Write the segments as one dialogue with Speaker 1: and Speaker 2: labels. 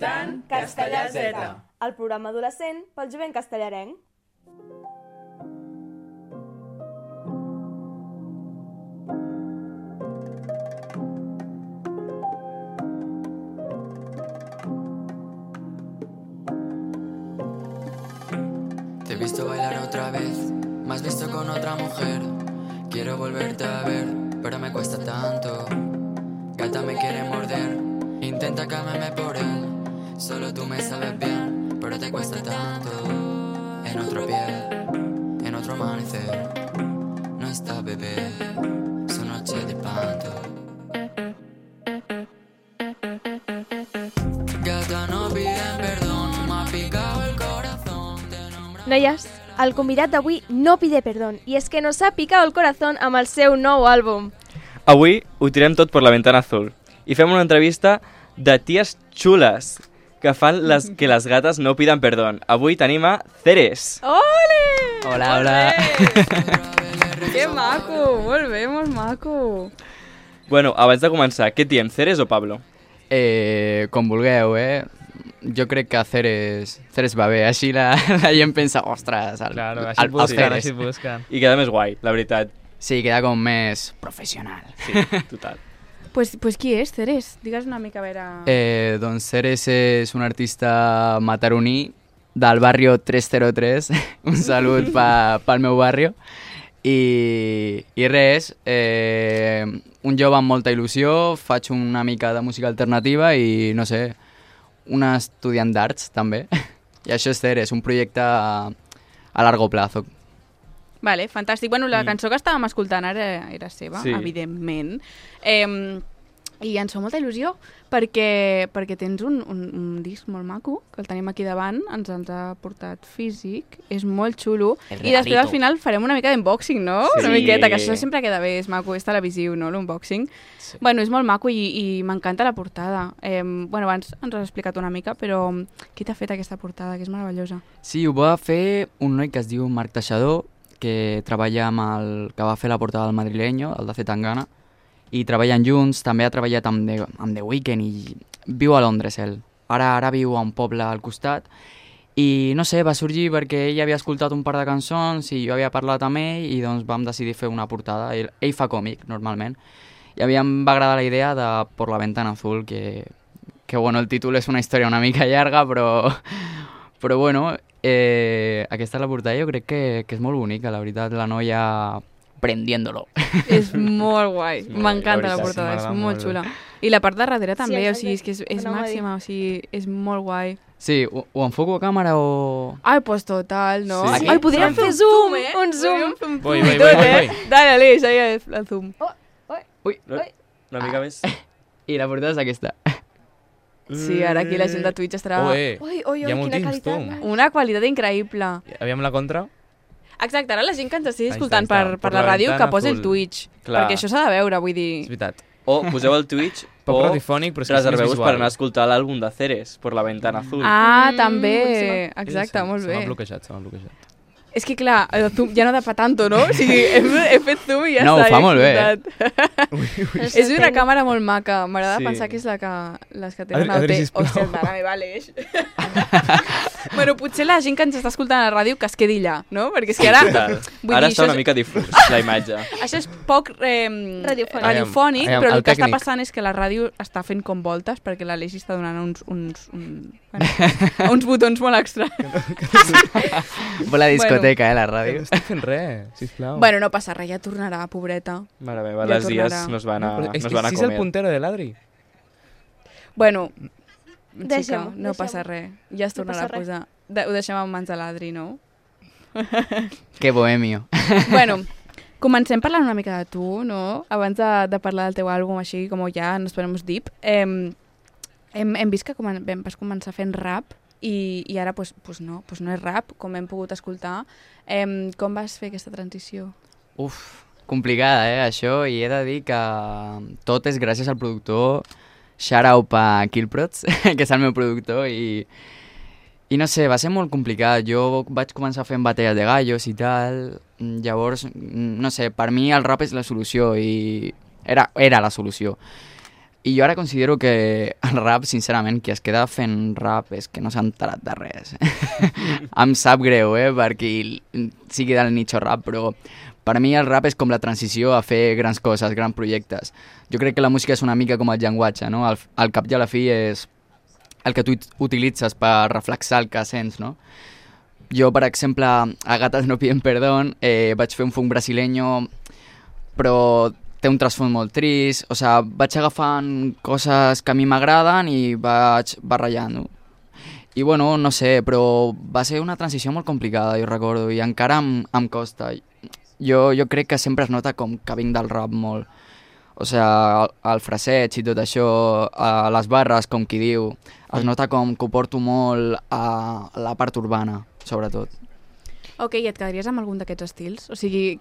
Speaker 1: escoltant Castellà Z,
Speaker 2: el programa adolescent pel jovent castellarenc.
Speaker 3: Te he visto bailar otra vez, me has visto con otra mujer. Quiero volverte a ver, pero me cuesta tanto. Gata me quiere morder, intenta calmarme por él. Solo tú me sabes bien, pero te cuesta tanto. En otro piel, en otro amanecer, no está bebé, su noche de panto. Gata no piden perdón, me ha picado el corazón.
Speaker 2: Noies, el convidat d'avui no pide perdón, i és que nos ha picado el corazón amb el seu nou àlbum.
Speaker 4: Avui ho tirem tot per la ventana azul i fem una entrevista de ties xules que fan que les gates no piden perdón. Avui tenim a Ceres.
Speaker 2: Ole!
Speaker 5: Hola, hola.
Speaker 1: Que maco, molt bé, molt maco.
Speaker 4: Bueno, abans de començar, què diem, Ceres o Pablo?
Speaker 5: Com vulgueu, Jo crec que Ceres va bé, així la gent pensa, ostres,
Speaker 6: Claro, així et busquen.
Speaker 4: I queda més guai, la veritat.
Speaker 5: Sí, queda com més professional.
Speaker 4: Sí, total.
Speaker 1: Pues qui és, Ceres? Digues una mica a veure...
Speaker 5: Doncs Ceres és un artista mataroní del barrio 303, un salut pel meu barrio. I res, un jove amb molta il·lusió, faig una mica de música alternativa i, no sé, un estudiant d'arts, també. I això és Ceres, un projecte a largo plazo.
Speaker 1: Vale, fantàstic. Bueno, la cançó que estàvem escoltant ara era seva,
Speaker 4: Sí.
Speaker 1: evidentment. I ens fa molta il·lusió perquè tens un disc molt maco, que el tenim aquí davant, ens ha portat físic, és molt xulo, i després al final farem una mica d'unboxing, no?
Speaker 4: Sí.
Speaker 1: Una miqueta, que això sempre queda bé, és maco, és televisiu, no?, l'unboxing.
Speaker 4: Sí.
Speaker 1: Bueno, és molt maco i m'encanta la portada. Bueno, abans ens has explicat una mica, però qui t'ha fet aquesta portada, que és meravellosa?
Speaker 5: Sí, ho va fer un noi que es diu Marc Teixador, que treballa amb que va fer la portada del Madrileño, el de Zetangana, i treballen junts, també ha treballat amb The Weeknd i viu a Londres, ell. Ara viu a un poble al costat i no sé, va sorgir perquè ell havia escoltat un par de cançons i jo havia parlat amb ell i doncs vam decidir fer una portada. Ell fa còmic, normalment, i a mi em va agradar la idea de Por la ventana azul, que bueno, el títol és una història una mica llarga, però bueno, aquesta és la portada, jo crec que és molt bonica, la veritat, la noia prendiéndolo.
Speaker 1: És molt guai,
Speaker 4: molt
Speaker 1: m'encanta
Speaker 4: guai,
Speaker 1: la portada, és
Speaker 6: m'agrada
Speaker 1: molt
Speaker 6: molt.
Speaker 1: xula. I la part de darrere també, o sigui, és que és
Speaker 2: anava a dir.
Speaker 1: màxima, o sigui, és molt guai.
Speaker 5: Sí, ho enfoco a càmera o...
Speaker 1: Ai, pues total, no?
Speaker 4: Sí.
Speaker 2: Ai, podríem fer zoom, un zoom.
Speaker 6: Voy.
Speaker 1: Dale, Aleix, ahí el zoom.
Speaker 5: Ui,
Speaker 4: Una mica més.
Speaker 5: i la portada és aquesta.
Speaker 1: Sí, ara aquí la gent de Twitch estarà...
Speaker 6: Ui,
Speaker 2: Ui,
Speaker 6: hi ha
Speaker 2: quina
Speaker 6: moltíssims,
Speaker 2: qualitat.
Speaker 6: tu.
Speaker 1: Una qualitat increïble.
Speaker 6: Aviam la contra.
Speaker 1: Exacte, ara la gent que ens estigui
Speaker 6: Ahí
Speaker 1: escoltant
Speaker 6: està,
Speaker 1: per
Speaker 6: per
Speaker 1: la
Speaker 6: la
Speaker 1: ràdio, que
Speaker 6: ventana
Speaker 1: posi el
Speaker 6: azul.
Speaker 1: Twitch.
Speaker 4: Clar.
Speaker 1: Perquè això s'ha de veure, vull
Speaker 6: És
Speaker 1: dir...
Speaker 6: veritat.
Speaker 4: O poseu el Twitch
Speaker 6: Poc
Speaker 4: o
Speaker 6: radiofònic, però és que és més
Speaker 4: reserveu-vos
Speaker 6: visual.
Speaker 4: per anar a escoltar l'àlbum de Ceres, Por la ventana azul.
Speaker 1: Ah,
Speaker 2: Mm,
Speaker 1: també.
Speaker 2: boníssima.
Speaker 1: Exacte, molt
Speaker 6: Se m'ha
Speaker 1: bé.
Speaker 6: bloquejat.
Speaker 1: És que clar, el zoom ja no da pa tanto, no? O sigui, he fet zoom i ja
Speaker 5: No,
Speaker 1: està.
Speaker 5: ho fa molt bé.
Speaker 1: És una càmera molt maca. M'agrada
Speaker 4: Sí.
Speaker 1: pensar que és les que tenen
Speaker 6: Adri,
Speaker 1: el té.
Speaker 6: sisplau.
Speaker 1: Hòstia, mare meva, Aleix. Bueno, potser la gent que ens està escoltant a la ràdio que es quedi allà, no? Perquè és que ara...
Speaker 4: Total.
Speaker 1: vull
Speaker 4: Ara
Speaker 1: dir,
Speaker 4: està
Speaker 1: això
Speaker 4: una mica difús, la imatge.
Speaker 1: Això és poc
Speaker 2: Radiofònic.
Speaker 1: radiofònic,
Speaker 6: Aviam,
Speaker 1: però el
Speaker 6: el
Speaker 1: que està
Speaker 6: tècnic.
Speaker 1: passant és que la ràdio està fent com voltes perquè l'Aleix està donant uns botons molt extra.
Speaker 5: Vol la discoteca, la ràdio.
Speaker 6: No estic fent res, sisplau.
Speaker 1: Bueno, no passa res, ja tornarà, pobreta.
Speaker 4: Mare meva,
Speaker 1: Ja
Speaker 4: les dies
Speaker 1: tornarà.
Speaker 4: no es van a,
Speaker 6: Però
Speaker 4: no
Speaker 6: és
Speaker 4: es
Speaker 6: que
Speaker 4: van a
Speaker 6: si és el
Speaker 4: comer.
Speaker 6: puntero de l'Adri.
Speaker 1: Bueno,
Speaker 2: Deixem-ho,
Speaker 1: xica, no passa res. Ja es
Speaker 2: No
Speaker 1: tornarà
Speaker 2: passa
Speaker 1: a
Speaker 2: res.
Speaker 1: posar. Ho deixem en mans de l'Adri, no?
Speaker 5: Que bohemio.
Speaker 1: Bueno, comencem parlant una mica de tu, no? Abans de parlar del teu àlbum, així com ja nos ponemos deep. Hem vist que vas començar fent rap i ara pues no és rap, com hem pogut escoltar. Com vas fer aquesta transició?
Speaker 5: Uf, complicada, això, i he de dir que tot és gràcies al productor. Shout out a Killprods, que és el meu productor, i no sé, va ser molt complicat. Jo vaig començar fent batalles de gallos i tal, llavors, no sé, per mi el rap és la solució, i era la solució. I jo ara considero que el rap, sincerament, qui es queda fent rap és que no s'ha enterat de res. Em sap greu, per qui sigui del nicho rap, però per a mi el rap és com la transició a fer grans coses, grans projectes. Jo crec que la música és una mica com el llenguatge, no? Al cap i a la fi és el que tu utilitzes per reflexar el que sents, no? Jo, per exemple, a Gatas no piden perdón, vaig fer un funk brasileño, però té un trasfons molt trist, o sigui, vaig agafant coses que a mi m'agraden i vaig barrejant-ho. I bueno, no sé, però va ser una transició molt complicada, jo recordo, i encara em costa. Jo crec que sempre es nota com que vinc del rap molt. O sigui, el fraseig i tot això, les barres, com qui diu, es nota com que ho porto molt a la part urbana, sobretot.
Speaker 1: Ok, i et quedaries amb algun d'aquests estils? O sigui,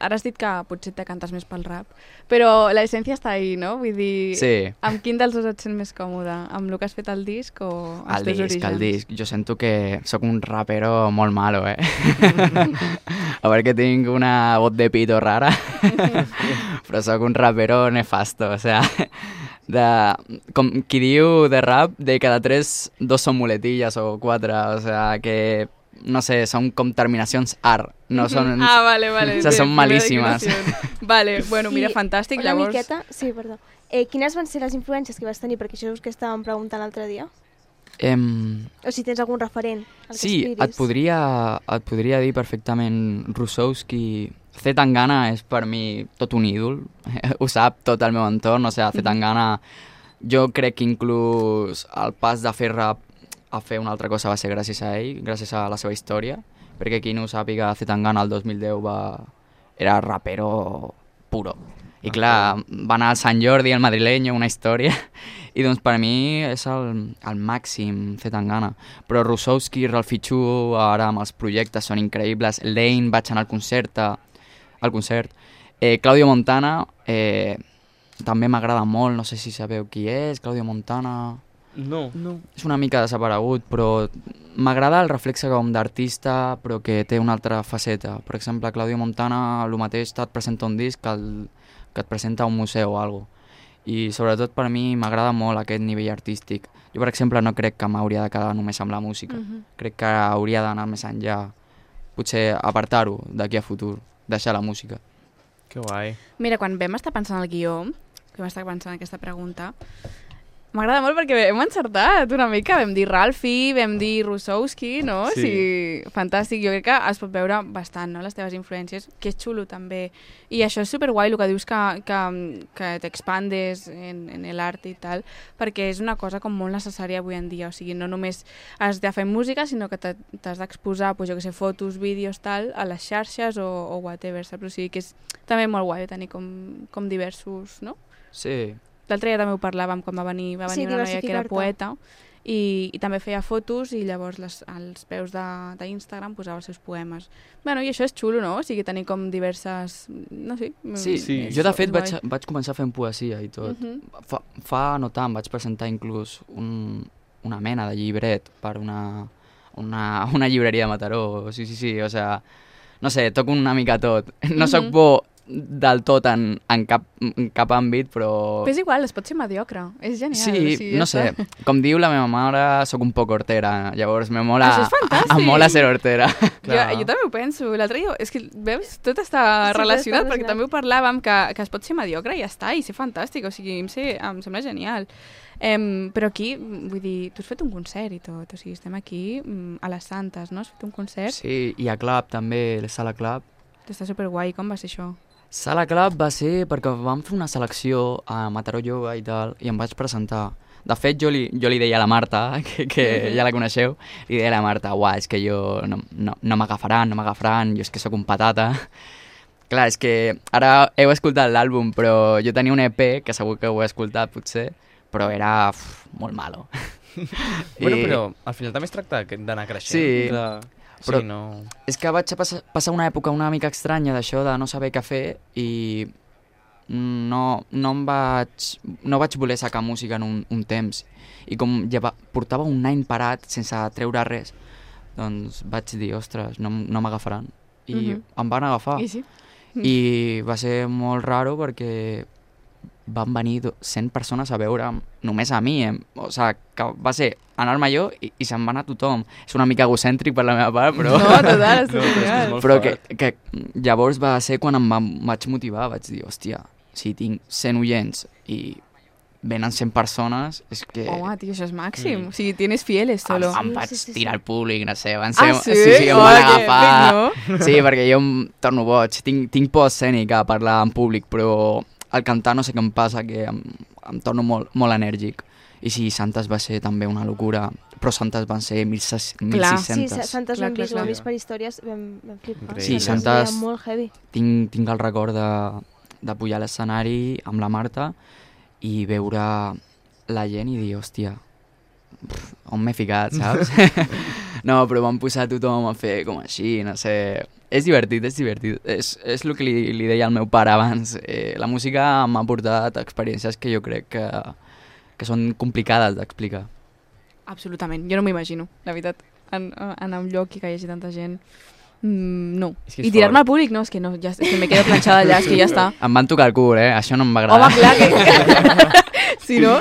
Speaker 1: ara has dit que potser te cantes més pel rap, però l'essència està ahí, no? Vull dir,
Speaker 5: Sí.
Speaker 1: amb quin dels dos et sents més còmode? Amb el que has fet al disc o els teus orígens?
Speaker 5: El disc. Jo sento que sóc un rapero molt malo, A veure que tinc una voz de pito rara, però sóc un rapero nefasto, o sea, com qui diu de rap, de cada 3, 2 són muletilles o 4, o sea, que no sé, són com terminacions art, no són...
Speaker 1: Ah, vale.
Speaker 5: O sigui, són malíssimes.
Speaker 1: Vale, bueno, mira,
Speaker 2: I
Speaker 1: fantàstic,
Speaker 2: una
Speaker 1: llavors...
Speaker 2: miqueta, sí, perdó. Quines van ser les influències que vas tenir? Perquè això és que estàvem preguntant l'altre dia. O si tens algun referent al que
Speaker 5: Sí,
Speaker 2: aspiris.
Speaker 5: et podria dir perfectament Rusowski. C. Tangana és per mi tot un ídol, ho sap tot el meu entorn, o sigui, C. Tangana, jo crec que inclús el pas de fer rap a fer una altra cosa va ser gràcies a ell, gràcies a la seva història, perquè qui no ho sàpiga, C. Tangana el 2010 era rapero puro. I clar, va anar al Sant Jordi, al madrileño, una història, i doncs per mi és el màxim C. Tangana. Però Rusowski, Ralphie Chu, ara amb els projectes són increïbles. Lane, vaig anar al concert. Claudio Montana, també m'agrada molt, no sé si sabeu qui és, Claudio Montana...
Speaker 4: No.
Speaker 5: És una mica desaparegut, però m'agrada el reflexe com d'artista, però que té una altra faceta. Per exemple, Claudio Montana, el mateix et presenta un disc que et presenta un museu o alguna cosa. I sobretot per mi m'agrada molt aquest nivell artístic. Jo, per exemple, no crec que m'hauria de quedar només amb la música. Crec que hauria d'anar més enllà. Potser apartar-ho d'aquí a futur, deixar la música.
Speaker 6: Que guai.
Speaker 1: Mira, quan vam estar pensant el guió, que vam estar pensant aquesta pregunta, m'agrada molt perquè hem encertat una mica. Vam dir Ralphie, vam dir Rusowski, no?
Speaker 6: Sí.
Speaker 1: O sigui, fantàstic. Jo crec que es pot veure bastant, no?, les teves influències, que és xulo també. I això és superguai, el que dius que t'expandes en l'art i tal, perquè és una cosa com molt necessària avui en dia. O sigui, no només has de fer música, sinó que t'has d'exposar, pues, jo que sé, fotos, vídeos, tal, a les xarxes o whatever, saps? O sigui, que és també molt guai tenir com diversos, no?
Speaker 5: Sí.
Speaker 1: L'altre dia també ho parlàvem quan va venir una noia que era poeta i també feia fotos i llavors als peus d'Instagram posava els seus poemes. Bueno, i això és xulo, no? O sigui, tenir com diverses... No sé.
Speaker 5: Sí. Jo de fet vaig començar fent poesia i tot. Fa no tant, vaig presentar inclús una mena de llibret per una llibreria de Mataró. Sí, o sea, no sé, toco una mica tot. No soc bo del tot en cap àmbit, però...
Speaker 1: Però és igual, es pot ser mediocre, és genial.
Speaker 5: Sí,
Speaker 1: o sigui,
Speaker 5: no sé, com diu la meva mare, sóc un poc hortera, llavors me mola...
Speaker 1: Això és fantàstic!
Speaker 5: Em mola ser hortera.
Speaker 1: Jo també ho penso, l'altre dia, és que, veus, tot està relacionat, perquè també ho parlàvem, que es pot ser mediocre i ja està, i ser fantàstic, o sigui, em sembla genial. Però aquí, vull dir, tu has fet un concert i tot, o sigui, estem aquí a les Santes, no? Has fet un concert?
Speaker 5: Sí, i a Club també, la Sala Club.
Speaker 1: Està superguai, com va ser això?
Speaker 5: Sala Club va ser perquè vam fer una selecció a Mataró Jove i tal, i em vaig presentar. De fet, jo li deia a la Marta, que ja la coneixeu, li deia a la Marta, és que jo no m'agafaran, jo és que sóc un patata. Clar, és que ara heu escoltat l'àlbum, però jo tenia un EP, que segur que ho he escoltat potser, però era molt malo.
Speaker 6: Bueno, però al final també es tracta d'anar creixent.
Speaker 5: Sí,
Speaker 4: Clar.
Speaker 5: però
Speaker 6: Sí, no...
Speaker 5: és que vaig passar una època una mica estranya d'això de no saber què fer i no vaig voler sacar música en un temps. I com portava un any parat sense treure res, doncs vaig dir, ostres, no m'agafaran. I em van agafar.
Speaker 1: I sí.
Speaker 5: I va ser molt raro perquè van venir 100 persones a veure només a mi. O sigui, que va ser anar-me jo i se'n va anar tothom. És una mica egocèntric per la meva part, però...
Speaker 1: No, total, és genial.
Speaker 5: Però que llavors va ser quan vaig motivar, vaig dir, hòstia, si tinc 100 oients i venen 100 persones, és que...
Speaker 1: Home, tio, això és màxim. O sigui, tienes fieles, solo.
Speaker 5: Em vaig tirar al públic, no sé, van ser...
Speaker 1: sí?
Speaker 5: Sí, em van agafar...
Speaker 1: No?
Speaker 5: Sí, perquè jo em torno boig. Tinc por escènica a parlar en públic, però al cantar no sé què em passa, que em torno molt enèrgic. I sí, Santes va ser també una locura, però Santes van ser 1.600.
Speaker 2: Sí, Santes l'hem vist, ho hem vist per històries, vam flipar.
Speaker 5: Sí, Santes...
Speaker 2: molt heavy.
Speaker 5: Tinc el record de pujar a l'escenari amb la Marta i veure la gent i dir, hòstia, on m'he ficat, saps? No, però van posar tothom a fer com així, no sé... És divertit, és divertit. És el que li deia al meu pare abans. La música m'ha portat experiències que jo crec que són complicades d'explicar.
Speaker 1: Absolutament, jo no m'ho imagino, la veritat. Anar a un lloc i que hi hagi tanta gent... no. I tirar-me al públic, no, és que no, ja, és que me quedo planxada allà, és que ja està.
Speaker 5: Em van tocar el cul, això no em va agradar.
Speaker 1: Home, clar que... Si no...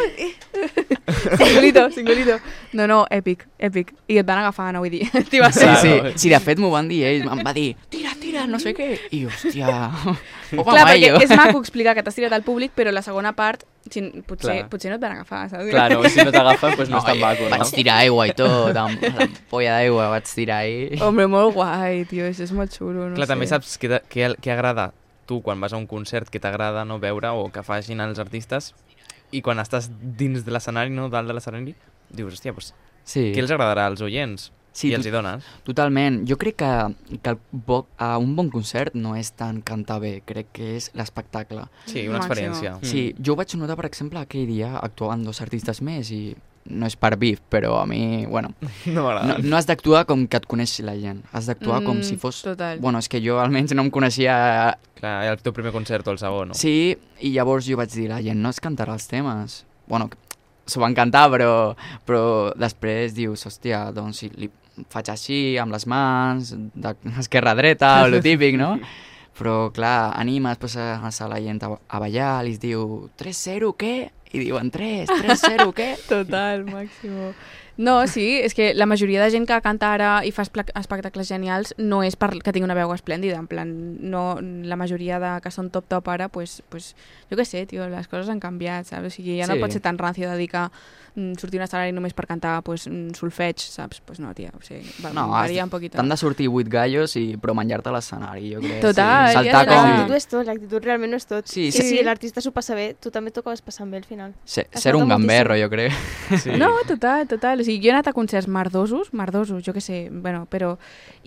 Speaker 1: Singulito. No, èpic. I et van agafar, no vull dir.
Speaker 5: Sí, de fet m'ho van dir ells, em va dir, tira, no sé què. I hòstia...
Speaker 1: Clar, perquè és maco explicar que t'has tirat al públic, però la segona part potser no et van agafar, saps?
Speaker 4: Clar, no, si no t'agafen, doncs no és tan maco, no?
Speaker 5: Vaig tirar aigua i tot, amb la polla d'aigua vaig tirar ahí.
Speaker 1: Hombre, molt guai, tio, això és molt xulo, no sé.
Speaker 6: Clar, també saps què agrada tu quan vas a un concert, que t'agrada no veure o que facin els artistes, i quan estàs dins de l'escenari, no, dalt de l'escenari, dius, hòstia, doncs, què els agradarà als oients? Sí, i els hi dones.
Speaker 5: Totalment. Jo crec que un bon concert no és tant cantar bé, crec que és l'espectacle.
Speaker 6: Sí, una experiència.
Speaker 5: Sí, jo vaig notar, per exemple, aquell dia actuaven 2 artistes més i no és per bif, però a mi, bueno... No has d'actuar com que et coneixi la gent. Has d'actuar com si fos...
Speaker 1: Total.
Speaker 5: Bueno, és que jo almenys no em coneixia...
Speaker 6: Clar, era el teu primer concert o el segon, no?
Speaker 5: Sí, i llavors jo vaig dir, la gent no es cantarà els temes. Bueno, s'ho van cantar, però després dius, hòstia, doncs si li faig així, amb les mans, d'esquerra-dreta, o lo típic, no? Però, clar, animes, poses a la gent a ballar, li diu 3-0, què? I diuen 3-0, què?
Speaker 1: Total, màximo. No, sí, és que la majoria de gent que canta ara i fa espectacles genials no és perquè tingui una veu esplèndida, en plan, no, la majoria que són top ara, pues, jo què sé, tio, les coses han canviat, saps? O sigui, ja no pot ser tan rancio de dir que sortir a un escenari només per cantar solfeig, saps? Pues no, tia, o sigui, varia un poquito.
Speaker 5: T'han de sortir 8 gallos però menjar-te a l'escenari, jo crec.
Speaker 1: Total,
Speaker 5: sí.
Speaker 2: Saltar com... L'actitud és tot, l'actitud realment no és tot.
Speaker 5: Sí.
Speaker 2: Si l'artista s'ho passa bé, tu també t'ho acabes passant bé al final.
Speaker 5: Ser un gamberro, jo crec.
Speaker 1: Sí. No, total. O sigui, jo he anat a concerts merdosos, jo què sé, bueno, però...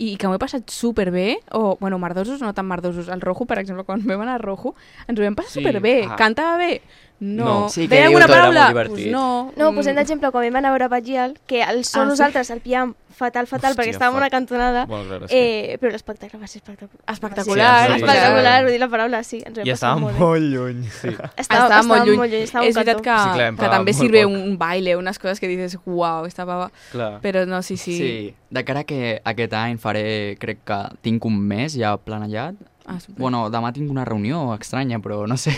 Speaker 1: I que m'ho he passat superbé, o, bueno, merdosos, no tan merdosos. El Rojo, per exemple, quan vam anar al Rojo, ens ho vam passar superbé. Cantava bé? No.
Speaker 5: Sí,
Speaker 1: deia alguna paraula?
Speaker 4: Pues
Speaker 1: no.
Speaker 2: No, posem d'exemple, quan vam anar a veure Bagial, que el so nosaltres el pillàvem fatal, perquè estàvem en una cantonada, però l'espectacle va ser espectacular. Espectacular, vull dir la paraula, sí.
Speaker 6: I estàvem molt lluny.
Speaker 1: Estava molt lluny. És veritat que també sirve un baile, unes coses que dices, uau, esta pava... Però no, sí.
Speaker 5: Sí, de cara que aquest any faré, crec que tinc un mes ja planejat. Bueno, demà tinc una reunió estranya, però no sé.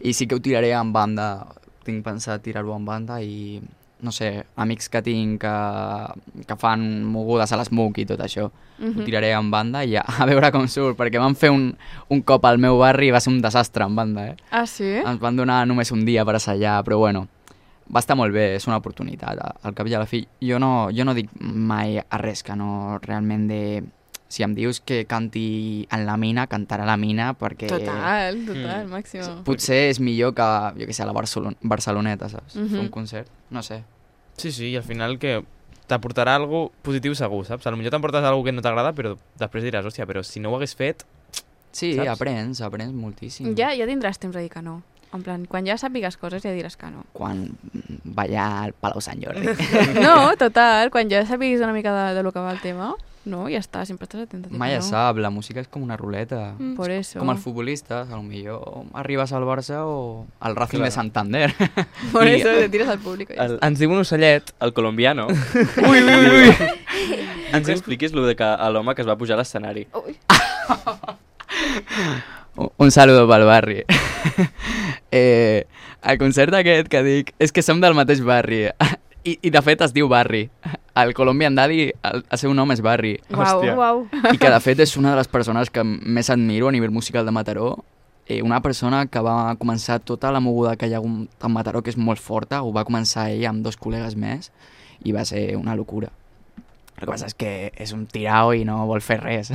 Speaker 5: I sí que ho tiraré en banda. Tinc pensat tirar-ho en banda i, no sé, amics que tinc que fan mogudes a l'SMUC i tot això. Ho tiraré en banda i a veure com surt, perquè van fer un cop al meu barri i va ser un desastre en banda,
Speaker 1: Ah, sí?
Speaker 5: Ens van donar només un dia per assajar, però bueno, va estar molt bé, és una oportunitat. Al cap i a la fi, jo no dic mai a res que no realment de... Si em dius que canti en la mina, cantarà a la mina, perquè...
Speaker 1: Total, màxim.
Speaker 5: Potser és millor que, jo què sé, a la Barceloneta, saps? Fer un concert, no sé.
Speaker 6: Sí, i al final que t'aportarà algo positiu segur, saps? Potser t'emportes algo que no t'agrada, però després diràs, hòstia, però si no ho hagués fet...
Speaker 5: Sí,
Speaker 6: saps?
Speaker 5: aprens moltíssim.
Speaker 1: Ja tindràs temps de dir que no. En plan, quan ja sàpigues coses ja diràs que no.
Speaker 5: Quan ballar al Palau Sant Jordi.
Speaker 1: No, total, quan ja sàpiguis una mica de lo que va el tema... No, ja està, sempre estàs atenta.
Speaker 5: Mai ja sap, la música és com una ruleta.
Speaker 1: Por eso.
Speaker 5: Com els futbolistes, a lo millor arribes al Barça o al Racing de Santander.
Speaker 1: Por eso, te tires al públic.
Speaker 6: Ens diu un ocellet,
Speaker 4: el colombiano.
Speaker 5: Ui.
Speaker 4: Ens expliquis lo de que l'home que es va pujar a l'escenari.
Speaker 5: Un saludo pel barri. El concert aquest que dic és que som del mateix barri. I de fet es diu Barri. El Colombian Daddy, el seu nom és Barri.
Speaker 2: Uau.
Speaker 5: I que de fet és una de les persones que més admiro a nivell musical de Mataró. Una persona que va començar tota la moguda que hi ha hagut a Mataró, que és molt forta, ho va començar ell amb 2 col·legues més i va ser una locura. El que passa és que és un tirao i no vol fer res.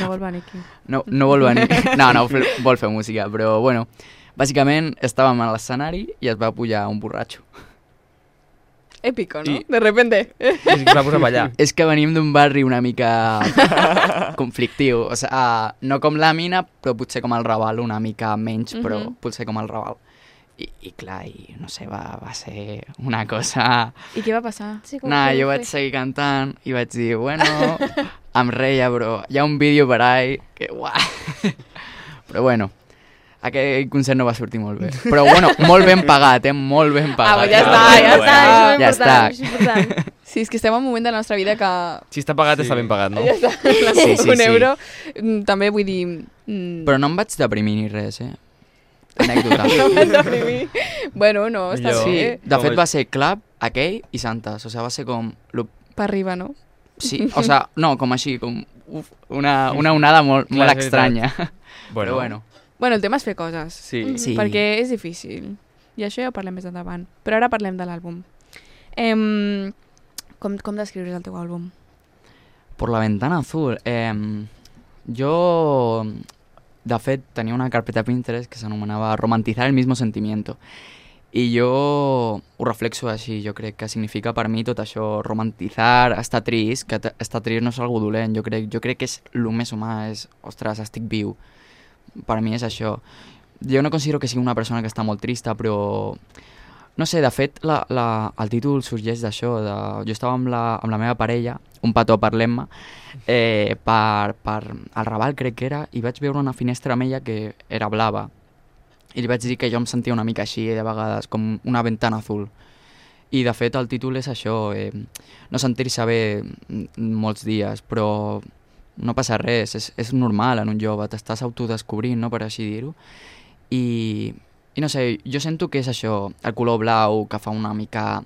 Speaker 1: No vol venir aquí.
Speaker 5: No vol venir. No, vol fer música, però bueno, bàsicament estàvem a l'escenari i es va pujar un borratxo.
Speaker 1: Épico, ¿no? De repente.
Speaker 6: És que va posar a ballar.
Speaker 5: És que venim d'un barri una mica conflictiu. O sigui, no com la Mina, però potser com el Raval, una mica menys, però potser com el Raval. I clar, no sé, va ser una cosa...
Speaker 1: I què va passar?
Speaker 2: Sí,
Speaker 5: jo vaig seguir cantant i vaig dir, bueno, em reia, però hi ha un vídeo per ahí que, uah. Però bueno, aquell concert no va sortir molt bé. Però bueno, molt ben pagat, molt ben pagat.
Speaker 1: Ja està.
Speaker 2: És important.
Speaker 1: Sí, és que estem en un moment de la nostra vida que...
Speaker 6: Si està pagat, està ben pagat, no?
Speaker 1: Ja està.
Speaker 5: Sí.
Speaker 1: Un euro, també vull dir...
Speaker 5: Però no em vaig deprimir ni res, Anècdota.
Speaker 1: No em vaig deprimir. Bueno, no, està bé.
Speaker 5: Sí, de fet va ser Club, aquell i Santes. O sigui, va ser com...
Speaker 1: Per arriba, no?
Speaker 5: Sí, o sigui, no, com així, com una onada molt estranya. Però bueno.
Speaker 1: Bueno, el tema és fer coses.
Speaker 4: Sí.
Speaker 1: Perquè és difícil. I això ja ho parlem més endavant. Però ara parlem de l'àlbum. Com descriuries el teu àlbum?
Speaker 5: Por la ventana azul. Jo, de fet, tenia una carpeta Pinterest que s'anomenava Romantizar el mismo sentimiento. I jo ho reflexo així, jo crec que significa per mi tot això, romantitzar, estar trist, que estar trist no és algo dolent, jo crec que és el més humà, és, ostres, estic viu. Per mi és això. Jo no considero que sigui una persona que està molt trista, però... No sé, de fet, el títol sorgeix d'això. Jo estava amb la meva parella, un petó, parlem-me, per el Raval, crec que era, i vaig veure una finestra amb ella que era blava. I li vaig dir que jo em sentia una mica així, de vegades, com una ventana azul. I, de fet, el títol és això, no sentir-se bé molts dies, però no passa res, és normal en un jove, t'estàs autodescobrint, no?, per així dir-ho. I no sé, jo sento que és això, el color blau, que fa una mica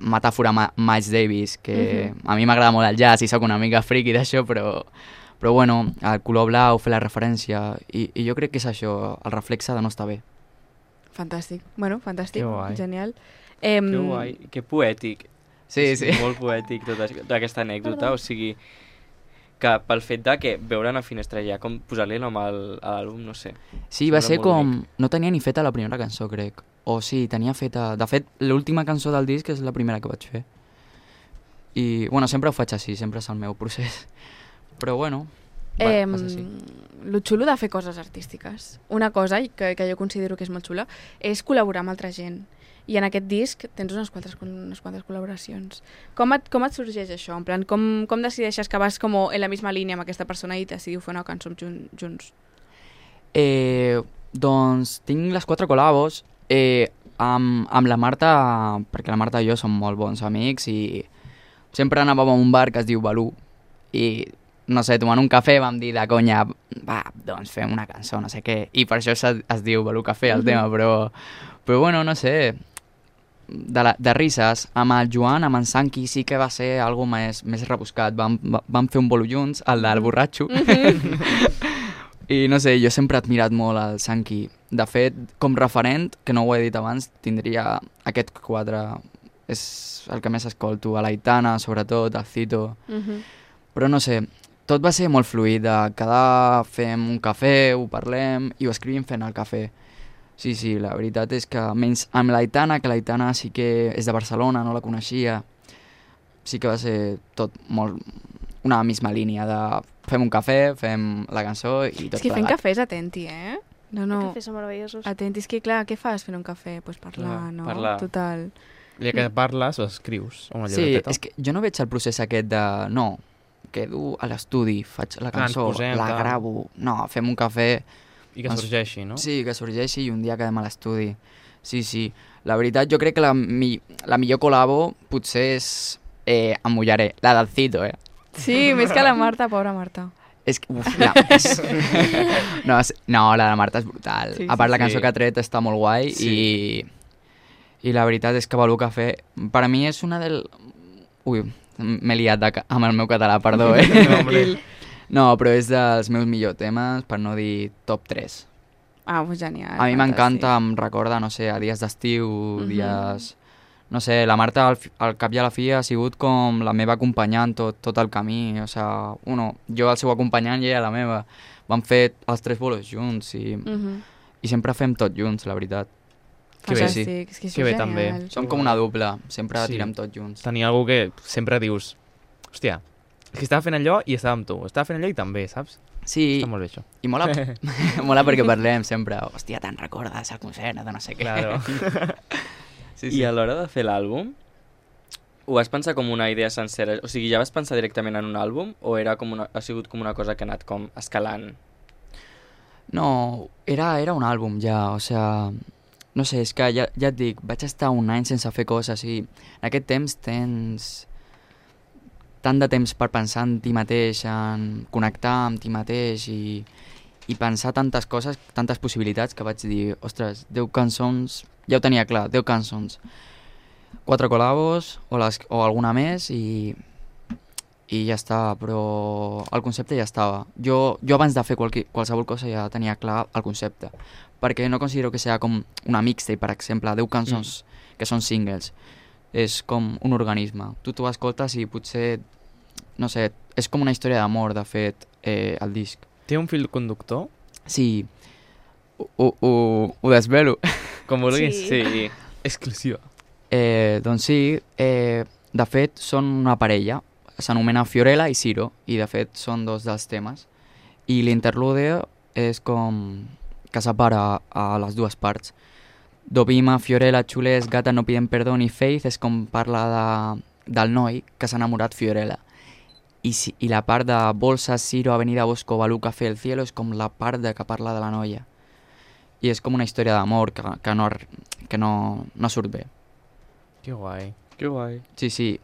Speaker 5: metàfora Miles Davis, que a mi m'agrada molt el jazz i sóc una mica friki d'això, però bueno, el color blau, fer la referència, i jo crec que és això, el reflexe de no estar bé.
Speaker 1: Fantàstic. Bueno, fantàstic, genial.
Speaker 4: Que guai, que poètic.
Speaker 5: Sí.
Speaker 4: Molt poètic tota aquesta anècdota, o sigui... que pel fet de que veure una finestra ja, com posar-li nom a l'àlbum, no sé.
Speaker 5: Sí, va ser com... Bonic. No tenia ni feta la primera cançó, crec. O sí, tenia feta... De fet, l'última cançó del disc és la primera que vaig fer. I, bueno, sempre ho faig així, sempre és el meu procés. Però, bueno, va ser així.
Speaker 1: Lo xulo de fer coses artístiques. Una cosa que jo considero que és molt xula és col·laborar amb altra gent. I en aquest disc tens unes quantes col·laboracions. Com et sorgeix això? En plan, com decideixes que vas com en la misma línia amb aquesta persona i decidiu fer una cançó junts?
Speaker 5: Doncs tinc les 4 col·labos amb la Marta, perquè la Marta i jo som molt bons amics i sempre anàvem a un bar que es diu Balú i, no sé, tomant un cafè vam dir de conya, va, doncs fem una cançó, no sé què, i per això es diu Balú Cafè el tema, però bueno, no sé, de risses, amb el Joan, amb en Sanqui sí que va ser algo més rebuscat, vam fer un bolo junts, el del borratxo, i no sé, jo sempre he admirat molt el Sanqui. De fet, com referent, que no ho he dit abans, tindria aquest 4, és el que més escolto, a l'Aitana, sobretot, al Cito, però no sé, tot va ser molt fluid, de quedar, fem un cafè, ho parlem i ho escrivim fent el cafè. Sí, la veritat és que menys amb l'Aitana, que l'Aitana sí que és de Barcelona, no la coneixia, sí que va ser tot molt una misma línia de fem un cafè, fem la cançó i tot plegat.
Speaker 1: És que fent cafè és atenti, No.
Speaker 2: Els cafès són meravellosos.
Speaker 1: Atenti, és que clar, què fas fent un cafè? Pues parlar, no?
Speaker 4: Parlar.
Speaker 1: Total.
Speaker 6: I que parles o escrius una
Speaker 5: Sí,
Speaker 6: llibreteta.
Speaker 5: és que jo no veig el procés aquest de... No, quedo a l'estudi, faig la cançó, la gravo, no, fem un cafè...
Speaker 6: I que sorgeixi, no?
Speaker 5: Sí, que sorgeixi i un dia quedem a l'estudi. Sí. La veritat, jo crec que la millor col·labo potser és... em mullaré, la del Cito,
Speaker 1: Sí, més que la Marta, pobra Marta.
Speaker 5: És que, no, la de la Marta és brutal. A part, la cançó que ha tret està molt guai i la veritat és que Balú Cafè, per a mi és una del... Ui, m'he liat amb el meu català, perdó, No, però és dels meus millors temes, per no dir top 3.
Speaker 1: Ah, pues genial.
Speaker 5: A mi m'encanta, em recorda, no sé, a dies d'estiu, dies... No sé, la Marta al cap i a la fi ha sigut com la meva acompanyant tot el camí, o sigui, jo el seu acompanyant i ella la meva. Vam fer els 3 bolos junts i sempre fem tot junts, la veritat.
Speaker 1: Que bé, sí. És que bé també.
Speaker 5: Som com una dupla, sempre tirem tot junts.
Speaker 6: Tenir algú que sempre dius, hòstia, és que estava fent allò i estava amb tu, estava fent allò i també, saps?
Speaker 5: Sí,
Speaker 6: està molt bé això.
Speaker 5: I mola perquè parlem sempre, hòstia, te'n recordes el concert, de no sé què.
Speaker 6: Claro.
Speaker 4: Sí. I a l'hora de fer l'àlbum, ho vas pensar com una idea sencera? O sigui, ja vas pensar directament en un àlbum o ha sigut com una cosa que ha anat com escalant?
Speaker 5: No, era un àlbum ja, o sigui... No sé, és que ja et dic, vaig estar un any sense fer coses i en aquest temps tens tant de temps per pensar en ti mateix, en connectar amb ti mateix i pensar tantes coses, tantes possibilitats que vaig dir, ostres, 10 cançons, ja ho tenia clar, 10 cançons, 4 col·labos o alguna més i ja està, però el concepte ja estava. Jo abans de fer qualsevol cosa ja tenia clar el concepte, perquè no considero que sigui com una mixtape, per exemple, 10 cançons que són singles. És com un organisme. Tu t'ho escoltes i potser, no sé, és com una història d'amor, de fet, el disc.
Speaker 6: Té un fil conductor?
Speaker 5: Sí, ho desvelo.
Speaker 6: Com vulguis.
Speaker 4: Sí.
Speaker 6: Exclusiva.
Speaker 5: Doncs sí, de fet són una parella, s'anomena Fiorella i Ciro, i de fet són 2 dels temes. I l'interlude és com que separa a les 2 parts. Dovima, Fiorella, Chulés, Gata no piden perdón i Faith és com parla del noi que s'ha enamorat Fiorella. I la part de Bolsa, Ciro, Avenida Bosco, Balú Café, El Cielo és com la part que parla de la noia. I és com una història d'amor que no surt bé.
Speaker 6: Que guai.
Speaker 4: Que guai.
Speaker 5: Sí.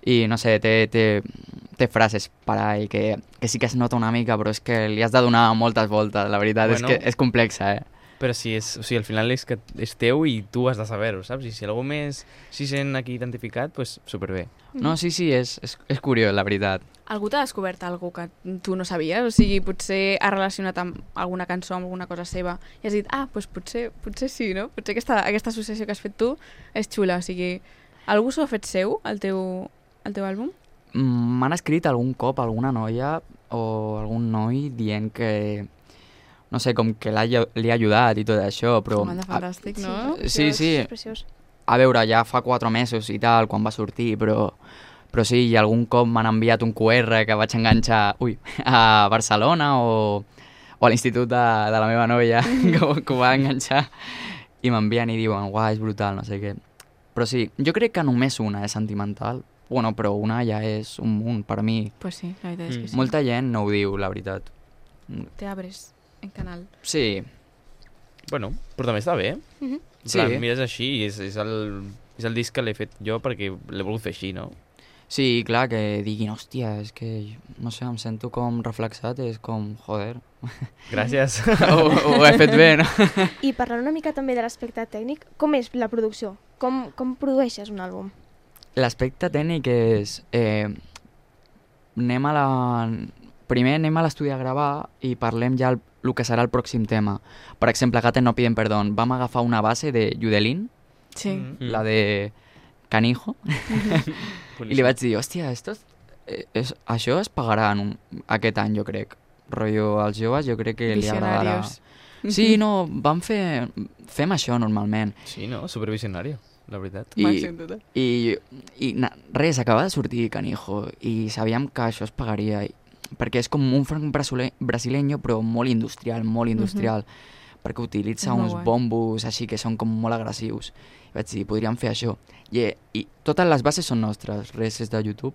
Speaker 5: I no sé, té frases per ahí que sí que es nota una mica, però és que li has de donar moltes voltes, la veritat, és que és complexa,
Speaker 6: Però sí, al final és que és teu i tu has de saber-ho, saps? I si algú més s'hi sent aquí identificat, doncs superbé.
Speaker 5: No, sí, és curiós, la veritat.
Speaker 1: Algú t'ha descobert alguna que tu no sabies? O sigui, potser ha relacionat amb alguna cançó, amb alguna cosa seva, i has dit, doncs potser sí, no? Potser aquesta associació que has fet tu és xula, o sigui, algú s'ho ha fet seu, el teu àlbum?
Speaker 5: M'han escrit algun cop alguna noia o algun noi dient que, no sé, com que li ha ajudat i tot això, però...
Speaker 1: Fantàstic, no?
Speaker 5: Sí.
Speaker 2: És preciós.
Speaker 5: A veure, ja fa 4 mesos i tal, quan va sortir, però sí, i algun cop m'han enviat un QR que vaig enganxar a Barcelona o a l'institut de la meva noia, que ho va enganxar, i m'envien i diuen, és brutal, no sé què. Però sí, jo crec que només una és sentimental. Bueno, però una ja és un munt, per mi.
Speaker 1: Pues sí, la veritat és que sí.
Speaker 5: Molta gent no ho diu, la veritat.
Speaker 1: Te abres en canal.
Speaker 5: Sí.
Speaker 6: Bueno, però també està bé.
Speaker 5: Sí.
Speaker 6: Clar, mires així i és el disc que l'he fet jo perquè l'he volgut fer així, no?
Speaker 5: Sí, clar, que diguin, hòstia, és que, no sé, em sento com reflexat, és com, joder.
Speaker 6: Gràcies.
Speaker 5: Ho he fet bé, no?
Speaker 2: I parlant una mica també de l'aspecte tècnic, com és la producció? Com produeixes un àlbum?
Speaker 5: L'aspecte tècnic és... Primer anem a l'estudi a gravar i parlem ja el que serà el pròxim tema. Per exemple, Gata no piden perdón. Vam agafar una base de Yudelin, la de Canijo, i li vaig dir, hòstia, això es pagarà aquest any, jo crec. Rotllo, als joves jo crec que li agradarà. Sí, no, fem això normalment.
Speaker 6: Sí, no? Supervisionari, la veritat.
Speaker 5: I res, acaba de sortir Canijo i sabíem que això es pagaria, perquè és com un funk brasileño però molt industrial, perquè utilitza uns bombos així que són com molt agressius. I vaig dir, podríem fer això. I totes les bases són nostres, res és de YouTube.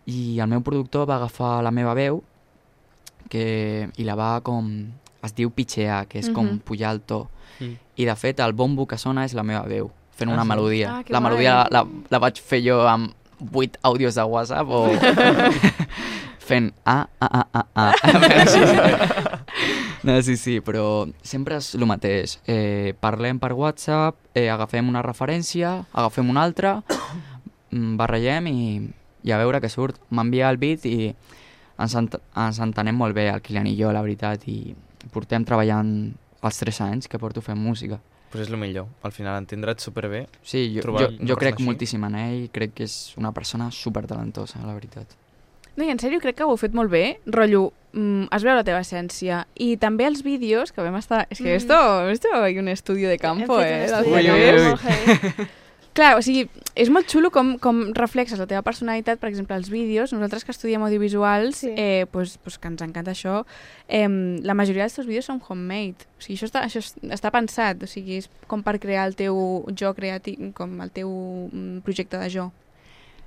Speaker 5: I el meu productor va agafar la meva veu i la va com... es diu pitchear, que és com pujar el to. I de fet el bombo que sona és la meva veu, fent una melodia. La melodia la vaig fer jo amb 8 àudios de WhatsApp o fent No, sí, però sempre és el mateix. Parlem per WhatsApp, agafem una referència, agafem una altra, barrellem i a veure què surt. M'envia el beat i ens entenem molt bé, el Kilian i jo, la veritat, i portem treballant els 3 anys que porto fent música.
Speaker 6: Pues és el millor, al final entendre't superbé.
Speaker 5: Sí, jo crec moltíssim en ell, crec que és una persona supertalentosa, la veritat.
Speaker 1: No, i en sèrio, crec que ho heu fet molt bé, rotllo, es veu la teva essència. I també els vídeos que vam estar... És que esto hay un estudio de campo, Clar, o sigui, és molt xulo com reflexes la teva personalitat, per exemple, els vídeos. Nosaltres que estudiem audiovisuals, pues que ens encanta això, la majoria dels teus vídeos són homemade. O sigui, això està pensat, o sigui, és com per crear el teu jo creatiu, com el teu projecte de jo.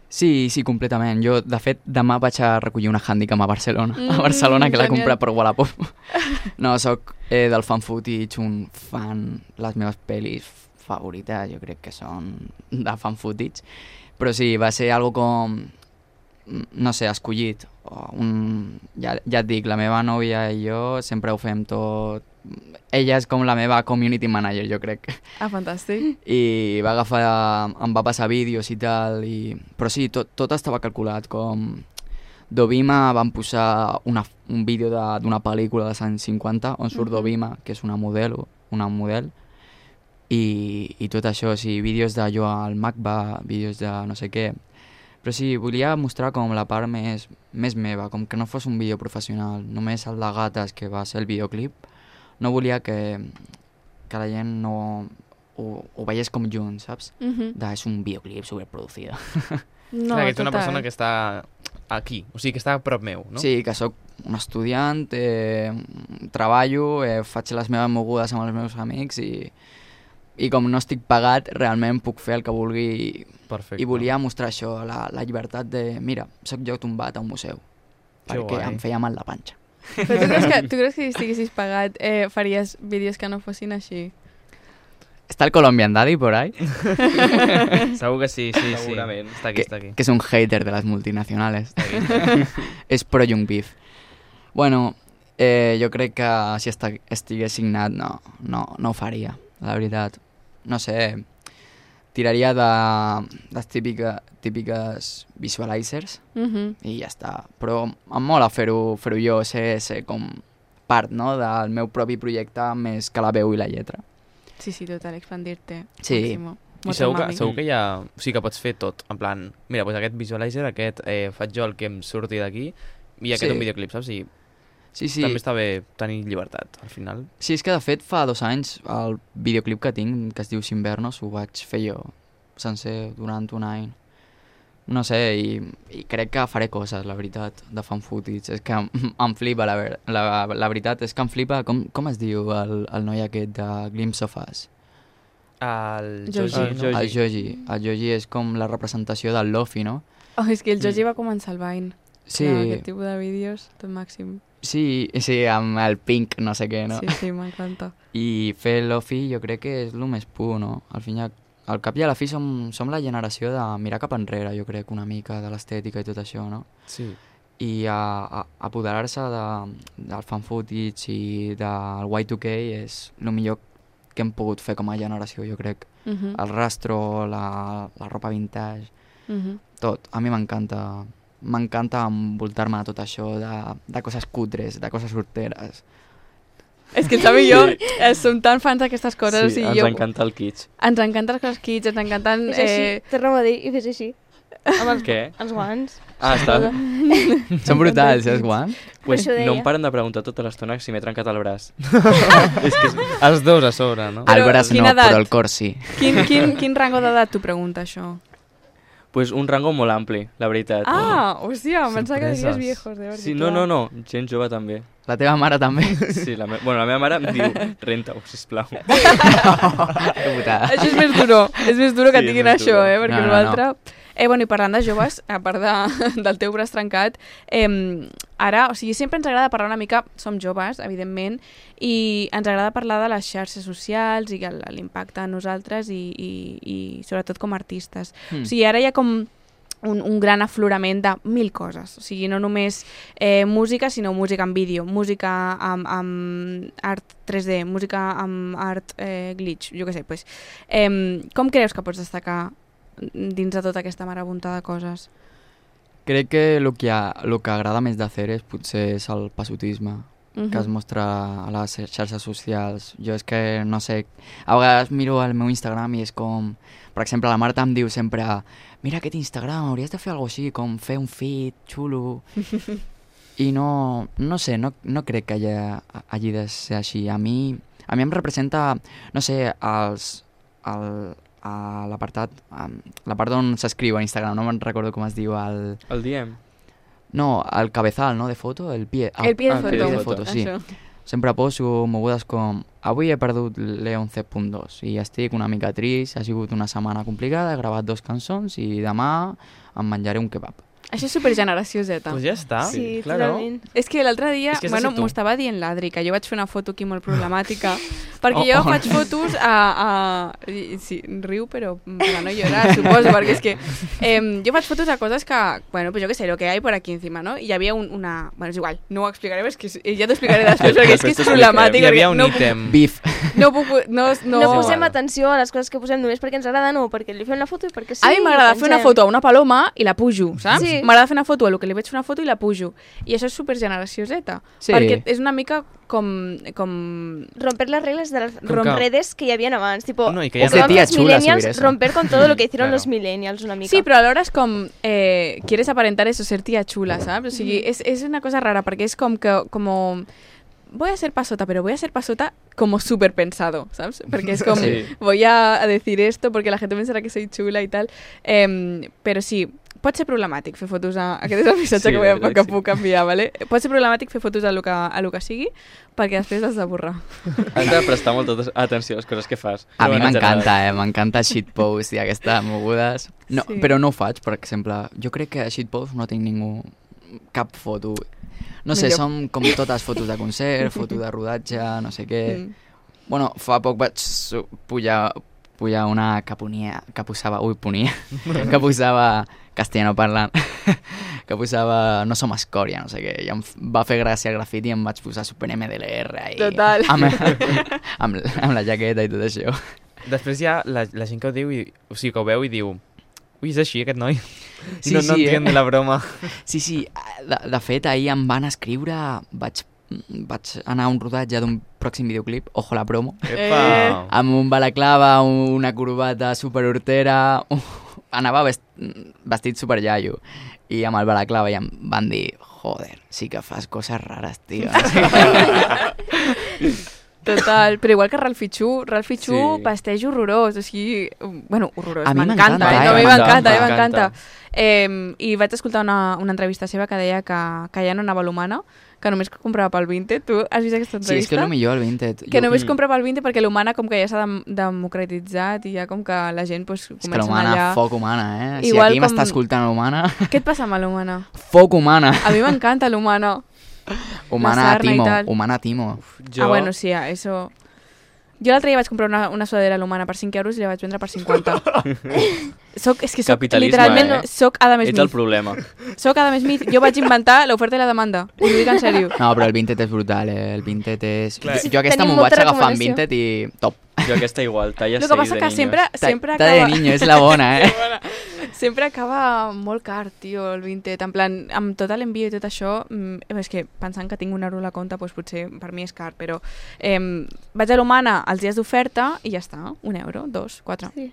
Speaker 5: Sí, completament. Jo, de fet, demà vaig a recollir una Handicam a Barcelona. A Barcelona, que l'he comprat per Wallapop. No, soc del fan footage, un fan, les meves pel·lis favorites, jo crec que són de fan footage. Però sí, va ser algo com, no sé, escollit. Ja et dic, la meva nòvia i jo sempre ho fem tot. Ella és com la meva community manager, jo crec.
Speaker 1: Ah, fantàstic.
Speaker 5: I em va passar vídeos i tal, però sí, tot estava calculat, com Dovima van posar un vídeo d'una pel·lícula dels anys 50 on surt Dovima, que és una model, i tot això, sí, vídeos de jo al MACBA, vídeos de no sé què. Però sí, volia mostrar com la part més meva, com que no fos un vídeo professional, només el de gates, que va ser el videoclip. No volia que la gent no ho veiés com junts, saps? És un videoclip superproducido.
Speaker 6: No, clar, que ets una persona que està aquí, o sigui, que està a prop meu, no?
Speaker 5: Sí, que sóc un estudiant, treballo, faig les meves mogudes amb els meus amics i com no estic pagat, realment puc fer el que vulgui.
Speaker 6: Perfecte.
Speaker 5: I volia mostrar això, la llibertat de, mira, sóc jo tombat a un museu, perquè em feia mal la panxa.
Speaker 1: Però tu creus que si estiguessis pagat faries vídeos que no fossin així?
Speaker 5: ¿Está el Colombian Daddy por ahí?
Speaker 6: Segur que sí.
Speaker 4: Segurament.
Speaker 6: Està aquí.
Speaker 5: Que es un hater de las multinacionales. És pro Young Beef. Bueno, jo crec que si estigués signat no ho faria, la veritat. No sé, tiraria de les típiques visualizers i ja està. Però em mola fer-ho jo, ser com part, no, del meu propi projecte més que la veu i la lletra.
Speaker 1: Sí, total, expandir-te.
Speaker 5: Sí.
Speaker 6: I segur que hi ha... O sigui que pots fer tot, en plan, mira, doncs aquest visualizer, aquest faig jo el que em surti d'aquí i aquest un videoclip, saps? I també està bé tenir llibertat, al final.
Speaker 5: Sí, és que de fet fa 2 anys el videoclip que tinc, que es diu Sinvernos, ho vaig fer jo sencer durant un any. No sé, i crec que faré coses, la veritat, de fan footage. És que em flipa, la veritat, és que em flipa, com es diu el noi aquest de Glimpse of Us?
Speaker 6: El
Speaker 5: Joji. El Joji és com la representació del Lofi, no?
Speaker 1: Oh, és que el Joji va començar el Vine.
Speaker 5: Sí.
Speaker 1: Clar, aquest tipus de vídeos, tot màxim.
Speaker 5: Sí, amb el pink, no sé què, no?
Speaker 1: Sí, m'encanta.
Speaker 5: I fer Lofi jo crec que és el més pur, no? Al cap i a la fi som la generació de mirar cap enrere, jo crec, una mica, de l'estètica i tot això, no?
Speaker 6: Sí.
Speaker 5: I apoderar-se del fan footage i del Y2K és el millor que hem pogut fer com a generació, jo crec. El rastro, la ropa vintage, tot. A mi m'encanta envoltar-me de tot això, de coses cutres, de coses sorteres.
Speaker 1: És que el Sam i jo som tan fans d'aquestes coses.
Speaker 4: Sí, ens encanta el kitsch.
Speaker 1: Ens encanten les coses kitsch, ens encanten...
Speaker 2: És així, tornem a dir, i fes així. Amb els guants.
Speaker 4: Ah, està.
Speaker 5: Són brutals, els guants.
Speaker 4: Pues no em paren de preguntar tota l'estona si m'he trencat el braç.
Speaker 6: És que els dos a sobre, no?
Speaker 5: El braç no, però el cor sí.
Speaker 1: Quin rango d'edat t'ho pregunta, això?
Speaker 4: Pues un rango molt ampli, la veritat.
Speaker 1: Ah, hòstia, em pensava que diries viejos, de veritat.
Speaker 4: Sí, no, gent jove també.
Speaker 5: La teva mare també?
Speaker 4: Sí, la meva mare em diu, renta-ho, sisplau.
Speaker 5: Que putada.
Speaker 1: Això és més duro que et diguin això, perquè l'altre... Bueno, i parlant de joves, a part del teu braç trencat, ara, o sigui, sempre ens agrada parlar una mica, som joves, evidentment, i ens agrada parlar de les xarxes socials i l'impacte a nosaltres i sobretot com a artistes. O sigui, ara hi ha com un gran aflorament de 1000 coses. O sigui, no només música, sinó música en vídeo, música amb art 3D, música amb art glitch, jo què sé. Pues, com creus que pots destacar dins de tota aquesta marabunta de coses?
Speaker 5: Crec que el que agrada més de Ceres potser és el passotisme que es mostra a les xarxes socials. Jo és que, no sé, a vegades miro el meu Instagram i és com... Per exemple, la Marta em diu sempre mira aquest Instagram, hauries de fer alguna cosa així, com fer un feed xulo. I no sé, no crec que hagi de ser així. A mi em representa, no sé, la part on s'escriu a Instagram, no me'n recordo com es diu.
Speaker 4: El DM?
Speaker 5: No, el cabezal, no?, de foto, el pie
Speaker 1: de
Speaker 5: foto, sí. Sempre poso mogudes com avui he perdut l'E11.2 i estic una mica trist, ha sigut una setmana complicada, he gravat 2 cançons i demà em menjaré un kebab.
Speaker 1: Això és supergeneració Z.
Speaker 6: Pues ja està.
Speaker 2: Sí, totalment.
Speaker 1: És que l'altre dia, bueno, m'ho estava dient l'Adri, que jo vaig fer una foto aquí molt problemàtica, perquè jo faig fotos sí, riu, però para no llorar, suposo, perquè és que jo faig fotos a coses que, bueno, pues jo què sé, lo que hay por aquí encima, ¿no? I hi havia una... Bueno, és igual, no ho explicaré, és que ja t'ho explicaré després, perquè és que és problemàtic.
Speaker 6: Hi havia un ítem.
Speaker 5: Beef.
Speaker 2: No posem atenció a les coses que posem només perquè ens agrada, no, perquè li fem la foto i perquè sí.
Speaker 1: A mi m'agrada fer una foto a una paloma i la pujo, saps?
Speaker 2: Sí.
Speaker 1: M'agrada fer una foto a lo que li veig fer una foto i la pujo. I això és supergeneració Z. Sí. Perquè és una mica com...
Speaker 2: romper las reglas de las redes que hi havia abans. Tipo,
Speaker 6: no,
Speaker 2: que
Speaker 5: de tía chula subir eso.
Speaker 2: Romper con todo lo que hicieron los millennials una mica.
Speaker 1: Sí, però alhora és com... quieres aparentar eso, ser tía chula, saps? O sigui, és una cosa rara, perquè és com que... voy a ser pasota, pero voy a ser pasota como súper pensado, ¿sabes? Porque es como, voy a decir esto porque la gente pensarà que soy chula y tal. Però sí, pot ser problemàtic fer fotos aquest és el missatge que puc enviar, ¿vale? Pot ser problemàtic fer fotos a lo que sigui, perquè després has de borrar.
Speaker 4: Has de prestar molta atenció a les coses que fas.
Speaker 5: A mi m'encanta, m'encanta shitpost i aquestes mogudes. No, sí. Però no ho faig, per exemple. Jo crec que a shitpost no tinc cap foto. No sé, són com totes fotos de concert, foto de rodatge, no sé què. Bueno, fa poc vaig pujar una que posava... que posava castellano parlant, que posava no som escòria, no sé què, i em va fer gràcia el grafiti i em vaig posar super MDLR i
Speaker 1: total.
Speaker 5: amb la jaqueta i tot això.
Speaker 6: Després hi ha la gent que ho diu, o sigui, que ho veu i diu ui, és així aquest noi?
Speaker 5: Sí,
Speaker 6: no entén la broma.
Speaker 5: Sí, de fet ahir em van escriure, vaig anar a un rodatge d'un pròxim videoclip, ojo la promo, amb un balaclava, una corbata super hortera, anava vestit super iaio i amb el balaclava i em van dir joder, sí que fas coses rares, tio.
Speaker 1: Total, però igual que Ralphie Chu vesteix horrorós, o sigui, bueno, horrorós, m'encanta, a mi m'encanta. I vaig escoltar una entrevista seva que deia que ja no anava a l'Humana, que només comprava pel Vinted. Tu has vist aquesta entrevista?
Speaker 5: Sí, és que és el millor, el Vinted.
Speaker 1: Que només comprava pel Vinted perquè l'Humana com que ja s'ha democratitzat i ja com que la gent pues, comença a anar allà. És que l'Humana,
Speaker 5: foc Humana, Si aquí m'està escoltant l'Humana...
Speaker 1: Què et passa amb l'Humana?
Speaker 5: Foc Humana.
Speaker 1: A mi m'encanta l'Humana.
Speaker 5: Humana Timo.
Speaker 1: Bueno, sí, eso... Jo l'altre dia vaig comprar una sudadera a l'Humana per 5 euros i la vaig vendre per 50. És que soc literalment... Soc Adam Smith.
Speaker 4: Ets el problema.
Speaker 1: Soc Adam Smith. Jo vaig inventar l'oferta i la demanda. Us ho dic en sèrio.
Speaker 5: No, però el Vinted és brutal, El Vinted és... Clar. Jo aquesta m'ho vaig agafar en Vinted i top.
Speaker 4: Jo aquesta igual, talla 6 de niños.
Speaker 1: El que passa que sempre acaba...
Speaker 5: Talla de niño, és la bona,
Speaker 1: Sempre acaba molt car, tio, el Vinted. En plan, amb tot l'envio i tot això, és que pensant que tinc €1 a la compte, doncs potser per mi és car, però vaig a l'Humana els dies d'oferta i ja està, €1, 2, 4.
Speaker 2: Sí.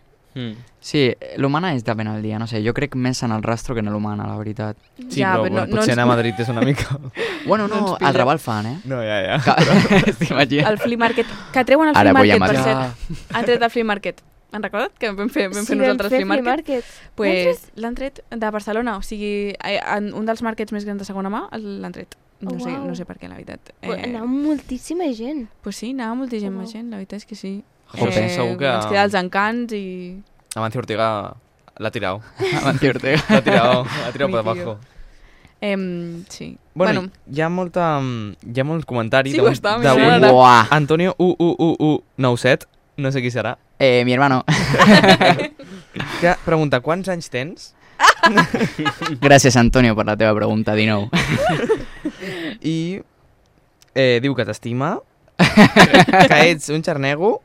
Speaker 5: Sí, l'Humana és depèn del dia, no sé, jo crec més en el Rastro que en l'Humana, la veritat.
Speaker 6: Sí, ja, però potser anar a Madrid és una mica...
Speaker 5: Bueno, no, el Raval fan,
Speaker 6: No, ja.
Speaker 5: T'imagines?
Speaker 1: El Flea Market, que treuen el Flea Market, per cert. Han tret el Flea Market. Han recordat que vam fer nosaltres Flea Market? Pues l'han tret de Barcelona, o sigui, un dels markets més grans de segona mà l'han tret. No sé per què, la veritat.
Speaker 2: Anava moltíssima gent.
Speaker 1: Pues sí, anava moltíssima gent, la veritat és que sí.
Speaker 6: Segur que...
Speaker 1: Ens queda els encants i...
Speaker 6: Amancio Ortega l'ha tirado.
Speaker 5: Amancio Ortega.
Speaker 6: L'ha tirado per abajo.
Speaker 1: Sí.
Speaker 6: Bueno, hi ha molt comentari
Speaker 5: Antonio
Speaker 6: U97, no sé qui serà.
Speaker 5: Mi hermano.
Speaker 6: Que pregunta, quants anys tens?
Speaker 5: Gràcies, Antonio, per la teva pregunta, 19.
Speaker 6: I diu que t'estima, que ets un xarnego.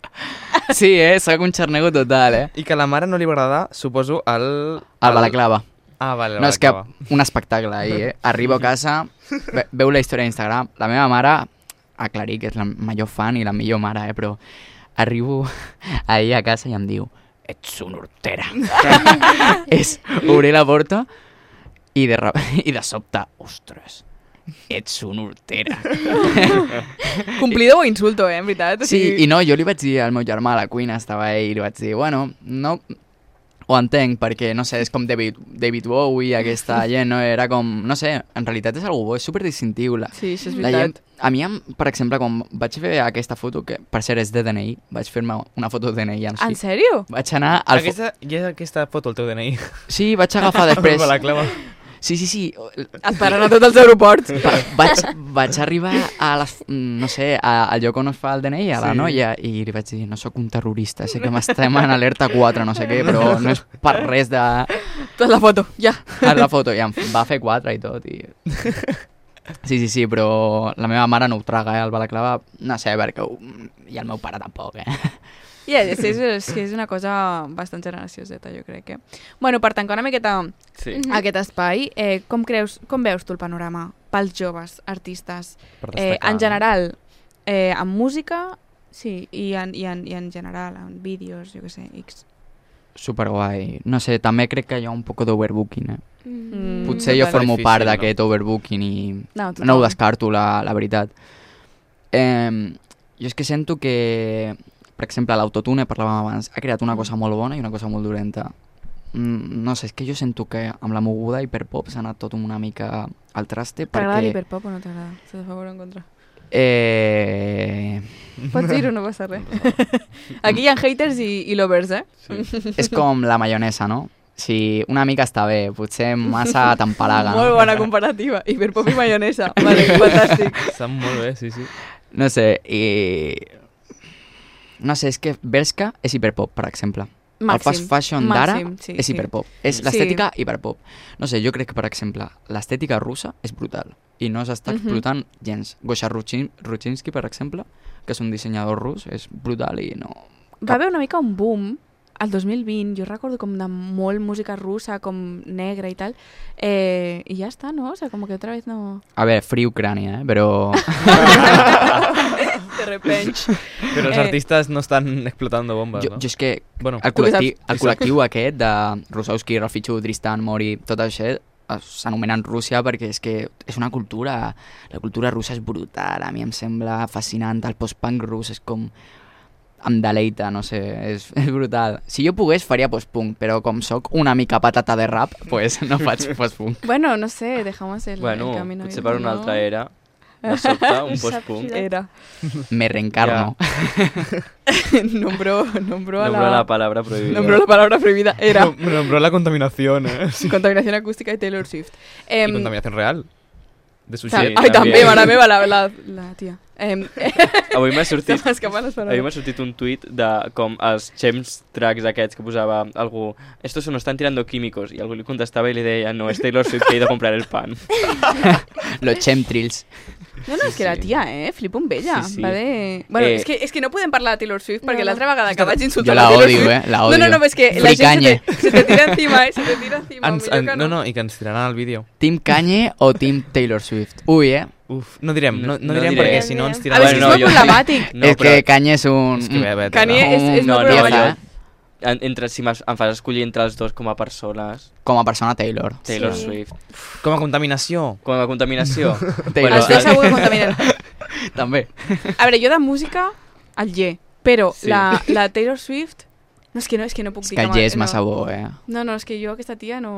Speaker 5: Sí, soc un xarnego total,
Speaker 6: I que a la mare no li va agradar, suposo, el
Speaker 5: balaclava.
Speaker 6: Vale,
Speaker 5: no, és que un espectacle ahir, Arribo a casa, veu la història d'Instagram, la meva mare, aclarir que és la major fan i la millor mare, però arribo ahir a casa i em diu ets una hortera. Obrir la porta i de sobte, ostres, ets una hortera.
Speaker 1: Complido o insulto, en veritat?
Speaker 5: Sí, i no, jo li vaig dir al meu germà a la cuina, estava ell, i li vaig dir, bueno, no... Ho entenc, perquè, no sé, és com David Bowie, aquesta gent, no? Era com, no sé, en realitat és algo bo, és superdistintiu.
Speaker 1: Sí, això és veritat.
Speaker 5: A mi, per exemple, quan vaig fer aquesta foto, que per cert és de DNI, vaig fer-me una foto de DNI en si.
Speaker 1: En sèrio?
Speaker 5: Vaig anar...
Speaker 6: Aquesta foto, el teu DNI.
Speaker 5: Sí, vaig agafar després... Sí.
Speaker 1: Et paren a tots els aeroports.
Speaker 5: Vaig arribar a les, no sé, al lloc on es fa el DNI, a la noia, i li vaig dir, no sóc un terrorista, sé que m'estem en alerta 4, no sé què, però no és per res de...
Speaker 1: Tot la foto, ja.
Speaker 5: La foto, i em va fer 4 i tot, i... Sí, però la meva mare no ho traga, el balaclava, no sé, perquè... I el meu pare tampoc,
Speaker 1: és una cosa bastant generacioseta, jo crec que... Bueno, per tancar una miqueta aquest espai, com veus tu el panorama pels joves artistes? En general, en música, sí, i en general, en vídeos, jo què sé, X.
Speaker 5: Superguai. No sé, també crec que hi ha un poc d'overbooking, Potser jo formo part d'aquest overbooking i no ho descarto, la veritat. Jo és que sento que... Per exemple, l'autotune, parlàvem abans, ha creat una cosa molt bona i una cosa molt dolenta. No sé, és que jo sento que amb la moguda hiperpop s'ha anat tot una mica al traste perquè...
Speaker 1: T'agrada l'hiperpop o no t'agrada? Estàs a favor o en contra? Pots dir-ho, no passa res. Aquí hi ha haters i lovers,
Speaker 5: Sí. És com la maionesa, no? Si una mica està bé, potser massa t'empalaga.
Speaker 1: Molt bona comparativa, hiperpop i maionesa. Vale, fantàstic.
Speaker 6: Estan molt bé, sí.
Speaker 5: No sé, no sé, és que Bershka és hiperpop, per exemple. El fast fashion d'ara és hiperpop. És l'estètica hiperpop. No sé, jo crec que, per exemple, l'estètica russa és brutal i no s'està explotant gens. Gosha Ruchinsky, per exemple, que és un dissenyador rus, és brutal i no...
Speaker 1: Va haver una mica un boom al 2020, jo recordo com de molt música russa, com negra i tal, i ja està, ¿no? O sea, como que otra vez no...
Speaker 5: A ver, Free Ucrania, però...
Speaker 1: De repente.
Speaker 6: Però els artistes no estan explotando bombes, no?
Speaker 5: Jo és que el col·lectiu aquest de Rusowski, Rafichu, Tristan, Mori, tot això s'anomenen Rússia perquè és que és una cultura... La cultura russa és brutal, a mi em sembla fascinant, el post-punk rus és com... Em deleita, no sé, és brutal. Si jo pogués faria post-punk, però com soc una mica patata de rap, pues no faig post-punk.
Speaker 1: Bueno, no sé, dejamos el camino.
Speaker 4: Bueno, potser per una altra era, de sobte, un post-punk.
Speaker 1: Era.
Speaker 5: Me reencarno.
Speaker 1: Nombró
Speaker 4: la palabra prohibida.
Speaker 1: Nombró la palabra prohibida, era.
Speaker 6: Nombró la contaminación,
Speaker 1: Sí. Contaminación acústica de Taylor Swift.
Speaker 6: Y contaminación real. De su
Speaker 1: Ai, també, mare meva, la tia.
Speaker 4: Avui m'ha sortit un tuit de com els chems tracks aquests que posava algú, estos se nos están tirando químicos, i algú li contestava i li deia, no, es Taylor Swift que he ido a comprar el pan.
Speaker 5: Los chemtrails.
Speaker 1: No, és que la tia, flipo amb ella. Sí. Bueno, és que no podem parlar de Taylor Swift perquè l'altra vegada que vaig insultar
Speaker 5: la Taylor Swift...
Speaker 1: la odio. No, és que la gent se te tira encima,
Speaker 6: No, i que ens tiraran el vídeo.
Speaker 5: Team Kanye o Team Taylor Swift? Ui,
Speaker 6: Uf, no direm perquè si no ens tiraran...
Speaker 1: A veure, és molt problemàtic.
Speaker 5: És que Kanye és un...
Speaker 1: Kanye és molt problemàtic.
Speaker 4: Si em fas escollir entre els dos com a persones...
Speaker 5: Com a persona, Taylor
Speaker 4: Swift.
Speaker 6: Com a contaminació.
Speaker 5: Taylor.
Speaker 1: Estic segur que contaminen.
Speaker 5: També.
Speaker 1: A veure, jo de música, el Ye. Però la Taylor Swift... No, és que no puc dir...
Speaker 5: És que el Ye és massa bo,
Speaker 1: No, és que jo aquesta tia no...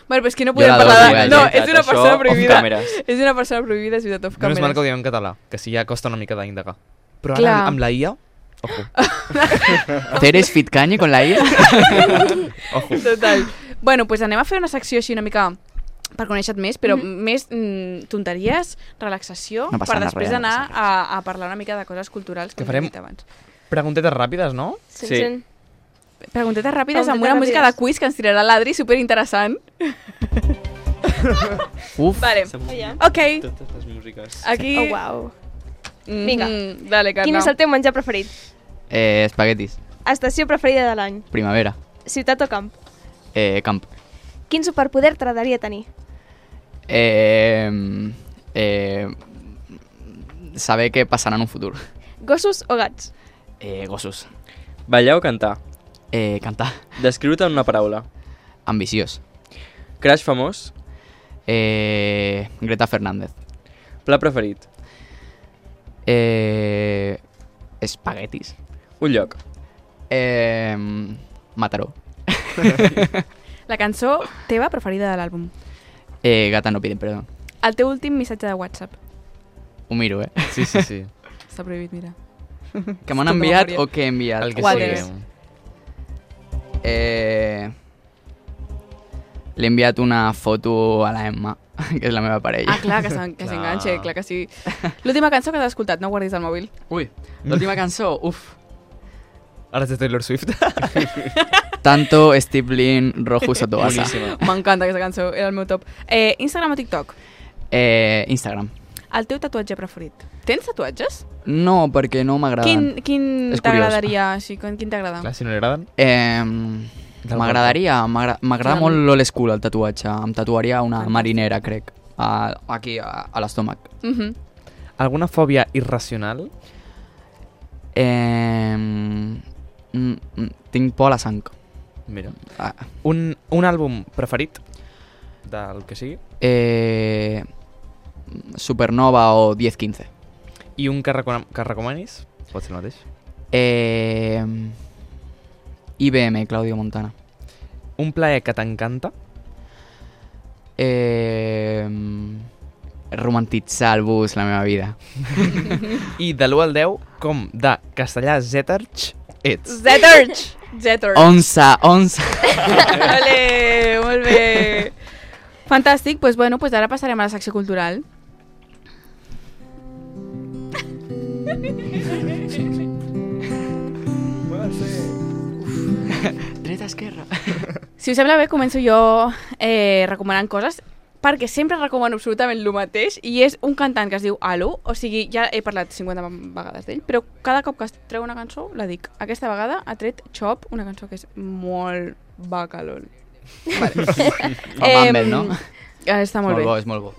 Speaker 1: Bueno, però és que no podem parlar de... No, és una persona prohibida. És una persona prohibida, és veritat, off càmeres.
Speaker 6: No és mal que ho diem en català, que sí ja costa una mica d'indagar. Però ara amb la IA... Ojo.
Speaker 5: ¿Eres fit Kanye con la IA?
Speaker 6: Ojo.
Speaker 1: Total. Bueno, pues anem a fer una secció així una mica per conèixer-te més, però més tonteries, relaxació, per després anar a parlar una mica de coses culturals que hem dit abans.
Speaker 6: Preguntetes ràpides, no?
Speaker 2: Sí.
Speaker 1: preguntetes ràpides amb una música de quiz que ens tirarà l'Adri, superinteressant.
Speaker 5: Uf.
Speaker 1: Vale. Ok.
Speaker 4: Totes les músiques.
Speaker 1: Aquí...
Speaker 2: Oh, uau. Vinga.
Speaker 1: Dale, Carla.
Speaker 2: Quin és el teu menjar preferit?
Speaker 5: Espaguetis.
Speaker 2: Estació preferida de l'any?
Speaker 5: Primavera.
Speaker 2: Ciutat o camp?
Speaker 5: Camp.
Speaker 2: Quin superpoder t'agradaria tenir?
Speaker 5: Saber què passarà en un futur.
Speaker 2: Gossos o gats?
Speaker 5: Gossos.
Speaker 4: Ballar o cantar?
Speaker 5: Cantar.
Speaker 4: Descriure-te en una paraula.
Speaker 5: Ambiciós.
Speaker 4: Crush famós?
Speaker 5: Greta Fernández.
Speaker 4: Pla preferit?
Speaker 5: Espaguetis.
Speaker 4: Un lloc?
Speaker 5: Mataró.
Speaker 1: La cançó teva preferida de l'àlbum.
Speaker 5: Gata no piden perdó.
Speaker 1: El teu últim missatge de WhatsApp.
Speaker 5: Ho miro,
Speaker 6: Sí.
Speaker 1: Està prohibit, mira.
Speaker 5: Que m'han enviat o que he enviat?
Speaker 6: El que
Speaker 1: Quadres.
Speaker 6: sigui.
Speaker 5: Li he enviat una foto a la Emma, que és la meva parella.
Speaker 1: Ah, clar, que s'enganxe, clar que sí. L'última cançó que has escoltat, no guardis el mòbil.
Speaker 5: Ui, l'última cançó, uf.
Speaker 6: Ara és de Taylor Swift.
Speaker 5: Tanto Steve Lin, Rojo Sotoasa.
Speaker 4: Boníssima.
Speaker 1: M'encanta aquesta cançó, era el meu top. Instagram o TikTok?
Speaker 5: Instagram.
Speaker 1: El teu tatuatge preferit? Tens tatuatges?
Speaker 5: No, perquè no m'agraden.
Speaker 1: Quin
Speaker 5: És
Speaker 1: t'agradaria? Sí, quin t'agrada?
Speaker 6: Clar, si no li agraden.
Speaker 5: M'agrada molt l'old school, el tatuatge. Em tatuaria una marinera, crec, aquí a l'estómac.
Speaker 6: Alguna fòbia irracional?
Speaker 5: Tinc por a la sang.
Speaker 6: Mira. Un àlbum preferit del que sigui?
Speaker 5: Supernova o 10-15.
Speaker 6: I un que recomanis? Pot ser el mateix.
Speaker 5: IBM, Claudio Montana.
Speaker 6: Un plaer que t'encanta?
Speaker 5: Romantitzar el bus, la meva vida.
Speaker 6: I de l'1 al 10, com de castellà Zeterch ets?
Speaker 1: Zeterch!
Speaker 5: 11.
Speaker 1: Vale, molt bé. Fantàstic, doncs bueno, ara passarem a la secció cultural.
Speaker 5: Dreta, esquerra.
Speaker 1: Si us sembla bé, començo jo recomanant coses, perquè sempre recomano absolutament el mateix, i és un cantant que es diu Alu, o sigui, ja he parlat 50 vegades d'ell, però cada cop que treu una cançó la dic. Aquesta vegada ha tret Chop, una cançó que és molt bacalol. Vale.
Speaker 5: Mambel, no?
Speaker 1: Està molt bé.
Speaker 5: És molt bo.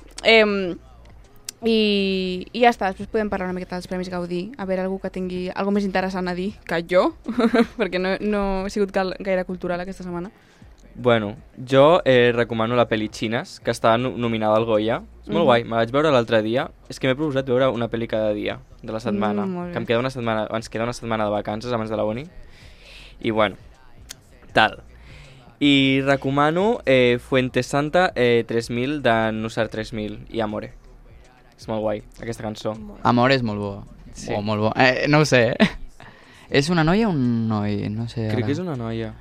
Speaker 1: I ja està, després podem parlar una miqueta dels Premis Gaudí, a veure algú que tingui alguna més interessant a dir que jo, perquè no he sigut gaire cultural aquesta setmana.
Speaker 4: Bueno, jo recomano la pel·li Xines, que està nominada al Goya. És molt guai, me la vaig veure l'altre dia. És que m'he proposat veure una pel·li cada dia de la setmana, que ens queda una setmana de vacances abans de la uni. I bueno, tal. I recomano Fuente Santa 3000 de Nusar 3000 i Amore. És molt guai, aquesta cançó.
Speaker 5: Amore és molt bo. Sí. Molt bo. No ho sé, És una noia o un noi? No sé.
Speaker 4: Crec que és una noia.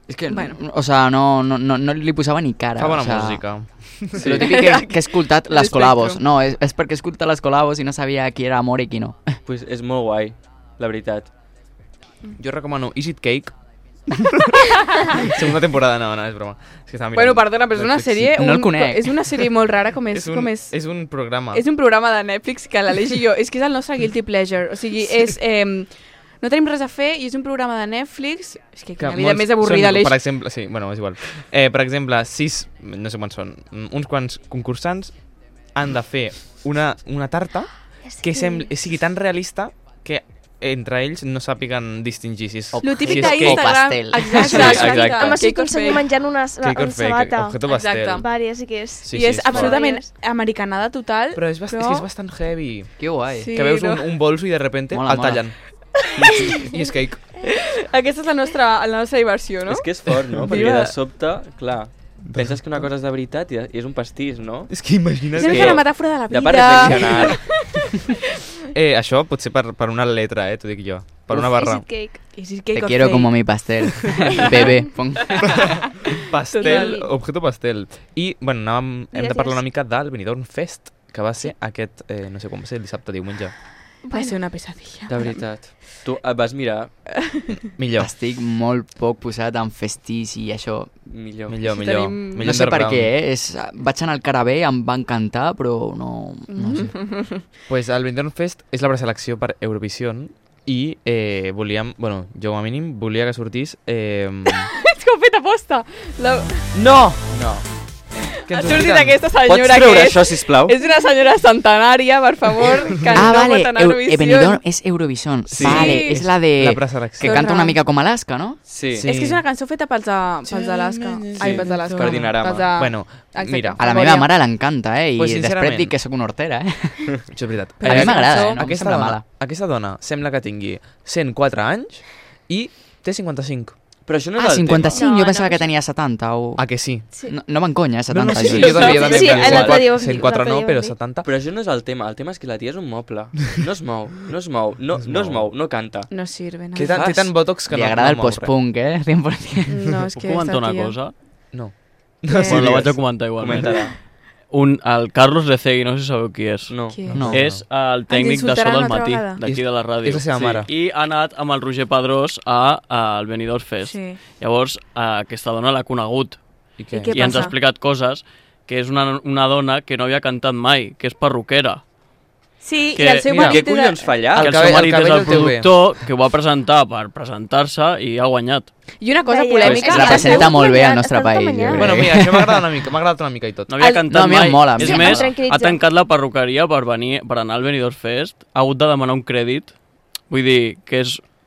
Speaker 5: És que, o sea, no li posava ni cara.
Speaker 6: Fa bona música.
Speaker 5: Sí. Lo típic que he escoltat les col·labos. No, és perquè he escoltat les col·labos i no sabia qui era Amore i qui no.
Speaker 4: Pues és molt guai, la veritat.
Speaker 6: Jo recomano Is It Cake? Segunda temporada, no, és broma. És que
Speaker 1: bueno, perdona, però és una sèrie...
Speaker 5: No el conec.
Speaker 1: És una sèrie molt rara, és
Speaker 6: un programa.
Speaker 1: És un programa de Netflix que l'Aleix i jo... És que és el nostre guilty pleasure. O sigui, és... no tenim res a fer i és un programa de Netflix... És que quina vida més avorrida, Aleix.
Speaker 6: Per exemple, sí, bueno, és igual. Per exemple, 6, no sé quants són, uns quants concursants han de fer una tarta que sigui tan realista que entre ells no sàpiguen distingir si és
Speaker 1: cake
Speaker 5: o pastel.
Speaker 1: Exacte.
Speaker 2: Home, sí, conseller menjant una sabata.
Speaker 6: Objeto pastel.
Speaker 2: Vàries, sí que és.
Speaker 1: I és absolutament americanada total.
Speaker 6: Però és que és bastant heavy.
Speaker 5: Que guai.
Speaker 6: Que veus un bolso i de repente el tallen. I és cake.
Speaker 1: Aquesta és la nostra diversió, no?
Speaker 4: És que és fort, no? Perquè de sobte, clar, penses que una cosa és de veritat i és un pastís, no?
Speaker 6: És que imagina't
Speaker 1: que... És una metàfora de la vida.
Speaker 4: Ja per reflexionar.
Speaker 6: Això pot ser per una letra, t'ho dic jo. Per una barra.
Speaker 2: Is it cake?
Speaker 5: Te quiero como mi pastel. Bebé.
Speaker 6: Pastel, objeto pastel. I, bueno, hem de parlar una mica del Benidorm Fest, que va ser aquest, no sé com va ser, dissabte, diumenge.
Speaker 1: Va ser una pesadilla.
Speaker 4: De veritat. Tu et vas mirar?
Speaker 6: Millor.
Speaker 5: Estic molt poc posat en festís i això.
Speaker 4: Millor.
Speaker 5: No sé per què, vaig anar al Carabé, em va encantar, però no sé.
Speaker 6: Pues el Benidorm Fest és la preselecció per Eurovision i volíem, bueno, jo com a mínim volia que sortís...
Speaker 1: És que ho he fet aposta.
Speaker 6: No!
Speaker 1: Ha sortit aquesta senyora
Speaker 4: Pots treure això, sisplau?
Speaker 1: És una senyora centenària, per favor, que no pot anar a Eurovision.
Speaker 5: Benidorm és Eurovision.
Speaker 4: Sí.
Speaker 5: Vale, és la de...
Speaker 6: La preselecció.
Speaker 5: Que canta una mica com Alaska, no?
Speaker 4: Sí.
Speaker 1: És que és una cançó feta pels d'Alaska. Ai, pels d'Alaska.
Speaker 4: Per Dinarama.
Speaker 6: Bueno, mira.
Speaker 5: A la meva mare l'encanta, I
Speaker 6: Pues,
Speaker 5: després dic que sóc una hortera,
Speaker 6: Això és veritat.
Speaker 5: A mi m'agrada, no em sembla mala.
Speaker 6: Aquesta dona sembla que tingui 104 anys i té 55.
Speaker 4: Però això no és el
Speaker 5: 55?
Speaker 1: tema.
Speaker 5: Jo pensava que tenia 70.
Speaker 6: Ah, que sí?
Speaker 5: No m'enconya, 70.
Speaker 6: Sí, jo també
Speaker 2: Sí, l'altre dia ho vam dir.
Speaker 6: 104 no, però 70.
Speaker 4: Però això no és el tema. El tema és que la tia és un moble. No es mou, no canta.
Speaker 1: No sirve, no.
Speaker 6: Té tant botox que
Speaker 5: Li
Speaker 6: no
Speaker 5: agrada el
Speaker 6: mou
Speaker 5: post-punk, 100%.
Speaker 1: No, és
Speaker 7: Puc
Speaker 1: que
Speaker 7: comentar
Speaker 1: esta
Speaker 7: una
Speaker 1: tia...
Speaker 7: cosa?
Speaker 6: No.
Speaker 7: Bueno, la vaig a comentar igualment.
Speaker 4: Comenta-la.
Speaker 7: El Carlos Lecegui, no sé si sabeu qui és.
Speaker 4: No.
Speaker 1: Qui
Speaker 5: No.
Speaker 7: És el tècnic de So
Speaker 1: insultaran
Speaker 7: del
Speaker 1: una altra
Speaker 7: Matí,
Speaker 1: vegada?
Speaker 7: d'aquí de la ràdio.
Speaker 6: És la seva mare.
Speaker 7: I ha anat amb el Roger Pedrós al Benidorm Fest.
Speaker 1: Sí.
Speaker 7: Llavors, aquesta dona l'ha conegut
Speaker 6: I què?
Speaker 1: I què
Speaker 7: i ens ha
Speaker 1: passa?
Speaker 7: explicat coses que és una dona que no havia cantat mai, que és perruquera.
Speaker 1: Sí,
Speaker 7: Que-
Speaker 1: i el seu
Speaker 6: mira,
Speaker 1: marit...
Speaker 4: Què collons fa allà?
Speaker 7: Que
Speaker 6: El
Speaker 7: el seu
Speaker 6: cabell-
Speaker 7: marit
Speaker 6: el
Speaker 7: és
Speaker 6: cabell
Speaker 7: el
Speaker 6: el té bé.
Speaker 7: productor, que ho va presentar per presentar-se i ha guanyat.
Speaker 1: I una cosa
Speaker 2: Veia,
Speaker 1: polèmica...
Speaker 5: es representa molt bé al nostre país, jo crec.
Speaker 6: Bueno, mira, això m'ha agradat una mica i tot.
Speaker 7: No havia
Speaker 1: El-
Speaker 7: cantat
Speaker 5: no, a mi em
Speaker 7: mai.
Speaker 5: mola, a mi
Speaker 7: És
Speaker 5: em
Speaker 7: més,
Speaker 2: mola.
Speaker 7: ha tancat la perruqueria per anar al Benidorm Fest. Ha hagut de demanar un crèdit. Vull dir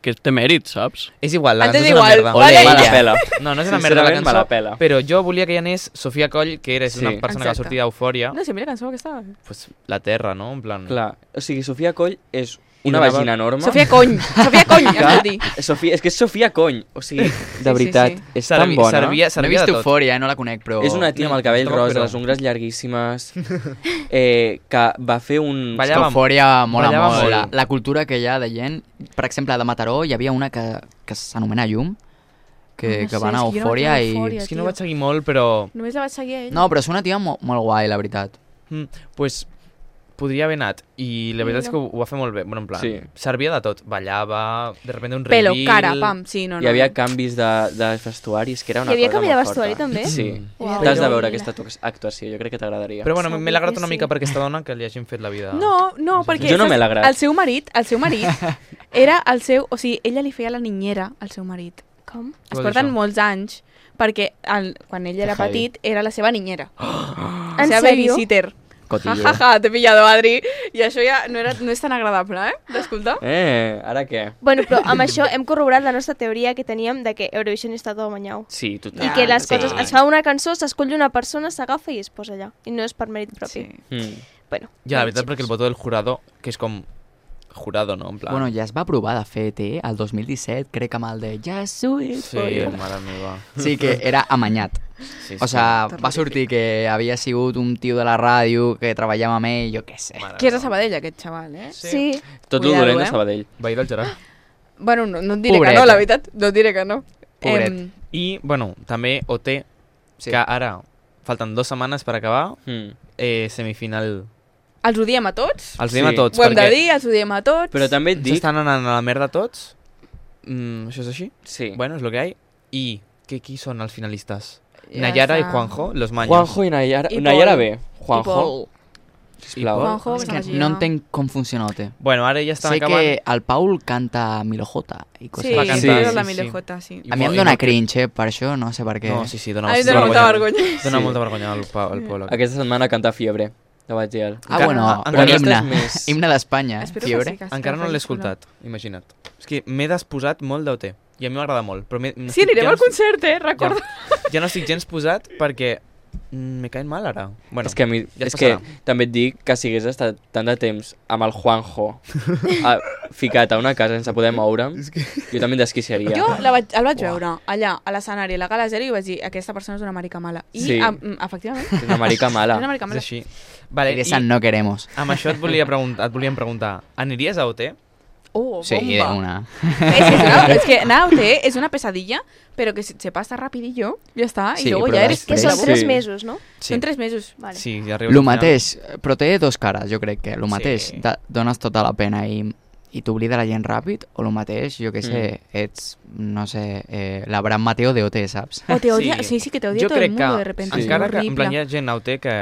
Speaker 7: que té mèrit, saps?
Speaker 6: És igual, la
Speaker 1: Antes
Speaker 6: cançó és una
Speaker 1: igual,
Speaker 6: merda.
Speaker 1: vale.
Speaker 4: Me la pela.
Speaker 6: No és una merda la
Speaker 4: Sincerament, me la
Speaker 6: cançó,
Speaker 4: pela.
Speaker 6: però jo volia que hi anés Sofia Coll, que és una
Speaker 4: Sí.
Speaker 6: persona que va
Speaker 1: Exacte.
Speaker 6: sortir d'Eufòria,
Speaker 1: No sé, mira la cançó aquesta.
Speaker 6: pues, la Terra, no? En plan...
Speaker 4: Clar, o sigui, Sofia Coll és
Speaker 6: I
Speaker 4: una
Speaker 6: donava-
Speaker 4: vagina enorme.
Speaker 1: Sofia Cony, has de dir.
Speaker 4: És que és Sofia Cony. O sigui,
Speaker 1: sí,
Speaker 4: de veritat,
Speaker 1: sí.
Speaker 4: és tan bona.
Speaker 6: Servia
Speaker 5: No he
Speaker 6: de
Speaker 5: vist
Speaker 6: tot.
Speaker 5: Eufòria, no la conec, però...
Speaker 4: És una tia amb el cabell
Speaker 6: Tampoc,
Speaker 4: rosa,
Speaker 6: però-
Speaker 4: les ungles llarguíssimes, que va fer un...
Speaker 5: És que
Speaker 6: Ballava-
Speaker 5: Eufòria mola
Speaker 6: ballava
Speaker 5: molt.
Speaker 6: molt.
Speaker 5: La cultura que hi ha de gent... Per exemple, de Mataró hi havia una que s'anomena Llum, que va anar a Eufòria i...
Speaker 6: És que no vaig seguir molt, però...
Speaker 1: Només la vaig seguir a ell.
Speaker 5: No, però és una tia molt guai, la veritat.
Speaker 6: Pues podria haver anat i la veritat és que ho va fer molt bé, bueno, en plan,
Speaker 4: Sí.
Speaker 6: servia de tot, ballava, de repente un
Speaker 1: Pelo,
Speaker 6: reveal...
Speaker 1: cara, pam, sí, no.
Speaker 4: Hi havia canvis de vestuaris, que era una
Speaker 2: Hi havia
Speaker 4: cosa
Speaker 2: canvi de
Speaker 4: molt
Speaker 2: vestuari,
Speaker 4: forta.
Speaker 2: també?
Speaker 4: Sí,
Speaker 2: Uau.
Speaker 4: t'has de
Speaker 2: Però-
Speaker 4: veure aquesta actuació, jo crec que t'agradaria.
Speaker 6: Però bueno, m'he agradat
Speaker 2: que
Speaker 6: una
Speaker 2: sí.
Speaker 6: mica per aquesta dona que li hagin fet la vida...
Speaker 1: No, perquè...
Speaker 4: Jo no
Speaker 1: saps,
Speaker 4: me l'agrat.
Speaker 1: El seu marit era el seu... O sigui, ella li feia la niñera al seu marit.
Speaker 2: Com?
Speaker 1: Es
Speaker 6: Vol dir
Speaker 1: porten
Speaker 6: això?
Speaker 1: molts anys perquè quan ell era
Speaker 4: heavy.
Speaker 1: petit era la seva niñera. La
Speaker 2: En
Speaker 1: seva
Speaker 2: sèrio?
Speaker 1: babysitter.
Speaker 5: Cotillo.
Speaker 1: Jajaja, t'he pillado, Adri. I això ja no és tan agradable, d'escoltar.
Speaker 4: Ara què?
Speaker 2: Bueno, però amb això hem corroborat la nostra teoria que teníem de que Eurovision està tot amanyau.
Speaker 4: Sí, total.
Speaker 2: I que les
Speaker 4: sí.
Speaker 2: coses... Es fa una cançó, s'escull una persona, s'agafa i es posa allà. I no és per mèrit propi.
Speaker 1: Sí.
Speaker 2: Bueno,
Speaker 6: Ja, la veritat, perquè el votó del jurado, que és com... Jurado, no? En plan...
Speaker 5: Bueno, ja es va provar, de fet, el 2017, crec amb el de Just Do It
Speaker 6: Sí,
Speaker 5: for you.
Speaker 6: mare meva.
Speaker 5: Sí, que era amanyat.
Speaker 6: Sí,
Speaker 5: O sea, va sortir que havia sigut un tio de la ràdio que treballava amb ell, jo què sé.
Speaker 1: Qui és de Sabadell, aquest xaval,
Speaker 2: sí.
Speaker 4: Tot el
Speaker 1: Cuidado,
Speaker 4: dolent de
Speaker 1: eh?
Speaker 4: Sabadell.
Speaker 6: Veí del Gerard.
Speaker 1: Bueno, no et diré
Speaker 5: Pobret.
Speaker 1: que no, la veritat. No et diré que no.
Speaker 6: Pobret. I, bueno, també OT,
Speaker 5: Sí.
Speaker 6: que ara falten 2 setmanes per acabar, semifinal...
Speaker 1: Els ho diem a tots?
Speaker 6: Els diem a tots,
Speaker 1: Ho hem de
Speaker 6: perquè
Speaker 1: dir, els ho diem a tots.
Speaker 4: Però també et dic...
Speaker 6: s'estan anant a la merda tots. Això és així?
Speaker 4: Sí.
Speaker 6: Bueno, és lo que hay. I qui són els finalistes?
Speaker 1: Ja
Speaker 6: Nayara i
Speaker 1: està.
Speaker 6: Juanjo, los maños.
Speaker 4: Juanjo i Nayara.
Speaker 1: I
Speaker 4: Nayara
Speaker 1: Pol.
Speaker 4: bé. Juanjo,
Speaker 1: Pol.
Speaker 4: sisplau.
Speaker 1: Juanjo,
Speaker 5: És que
Speaker 1: que
Speaker 5: no entenc com funciona OT.
Speaker 6: Bueno, ara ja estan
Speaker 5: Sé
Speaker 6: acabant.
Speaker 5: que el Paul canta Milojota i coses
Speaker 1: Sí,
Speaker 6: Va
Speaker 5: així.
Speaker 6: cantar,
Speaker 1: és la
Speaker 6: sí,
Speaker 1: Mille
Speaker 6: sí.
Speaker 1: J, sí.
Speaker 5: A mi em dóna cringe, per això, no sé per què.
Speaker 6: No, sí, dona,
Speaker 1: A mi em dóna molta vergonya.
Speaker 6: Dona
Speaker 4: Sí.
Speaker 6: molta vergonya al Pol.
Speaker 4: Aquesta setmana canta Fiebre, de Batgiel.
Speaker 5: Ah, bueno,
Speaker 6: Encara
Speaker 5: un himne.
Speaker 4: estàs més-
Speaker 5: Himne d'Espanya,
Speaker 1: Espero que
Speaker 5: Fiebre.
Speaker 1: sí, que
Speaker 6: Encara no
Speaker 1: faci
Speaker 6: l'he
Speaker 1: sonar.
Speaker 6: escoltat, imagina't. És que m'he desposat molt d'OT. I a mi m'agrada molt. Però
Speaker 1: Sí, anirem al concert, recorda.
Speaker 6: Ja no estic gens posat perquè me caen mal ara. Bueno,
Speaker 4: És que, a mi,
Speaker 6: ja es
Speaker 4: és que
Speaker 6: passarà.
Speaker 4: també et dic que si hagués estat tant de temps amb el Juanjo ficat a una casa sense poder moure'm, jo també em desquiciaria.
Speaker 1: Jo el vaig veure allà, a l'escenari, a la Gala Zero, i vaig dir, aquesta persona és una marica mala. I,
Speaker 4: Sí.
Speaker 1: efectivament,
Speaker 4: És una marica
Speaker 1: és
Speaker 4: mala.
Speaker 1: una marica
Speaker 6: és
Speaker 1: mala.
Speaker 6: així. Vale,
Speaker 5: Esa no queremos.
Speaker 6: amb això et volíem preguntar, aniríes a OT?
Speaker 1: Oh,
Speaker 5: sí,
Speaker 1: bomba.
Speaker 5: de una.
Speaker 1: Es que nada, es una pesadilla, pero que se pasa rapidillo, ja està,
Speaker 5: Sí,
Speaker 1: i luego
Speaker 5: però
Speaker 1: ja eres...
Speaker 2: Que són 3 mesos, no?
Speaker 1: Són 3 mesos.
Speaker 2: Vale.
Speaker 6: Sí, ja arribes
Speaker 5: Lo
Speaker 6: al final.
Speaker 5: mateix, però té dos cares, jo crec que. Lo mateix,
Speaker 6: Sí.
Speaker 5: dones tota la pena i t'oblida la gent ràpid, o lo mateix, jo què sé, ets, no sé, l'Abraham Mateo de OT, saps?
Speaker 1: O te odia, sí, que te odia
Speaker 6: jo
Speaker 1: tot el
Speaker 6: crec
Speaker 1: mundo
Speaker 6: que,
Speaker 1: de repente.
Speaker 6: encara
Speaker 1: és
Speaker 6: que en plan hi
Speaker 1: horrible.
Speaker 6: ha gent a OT que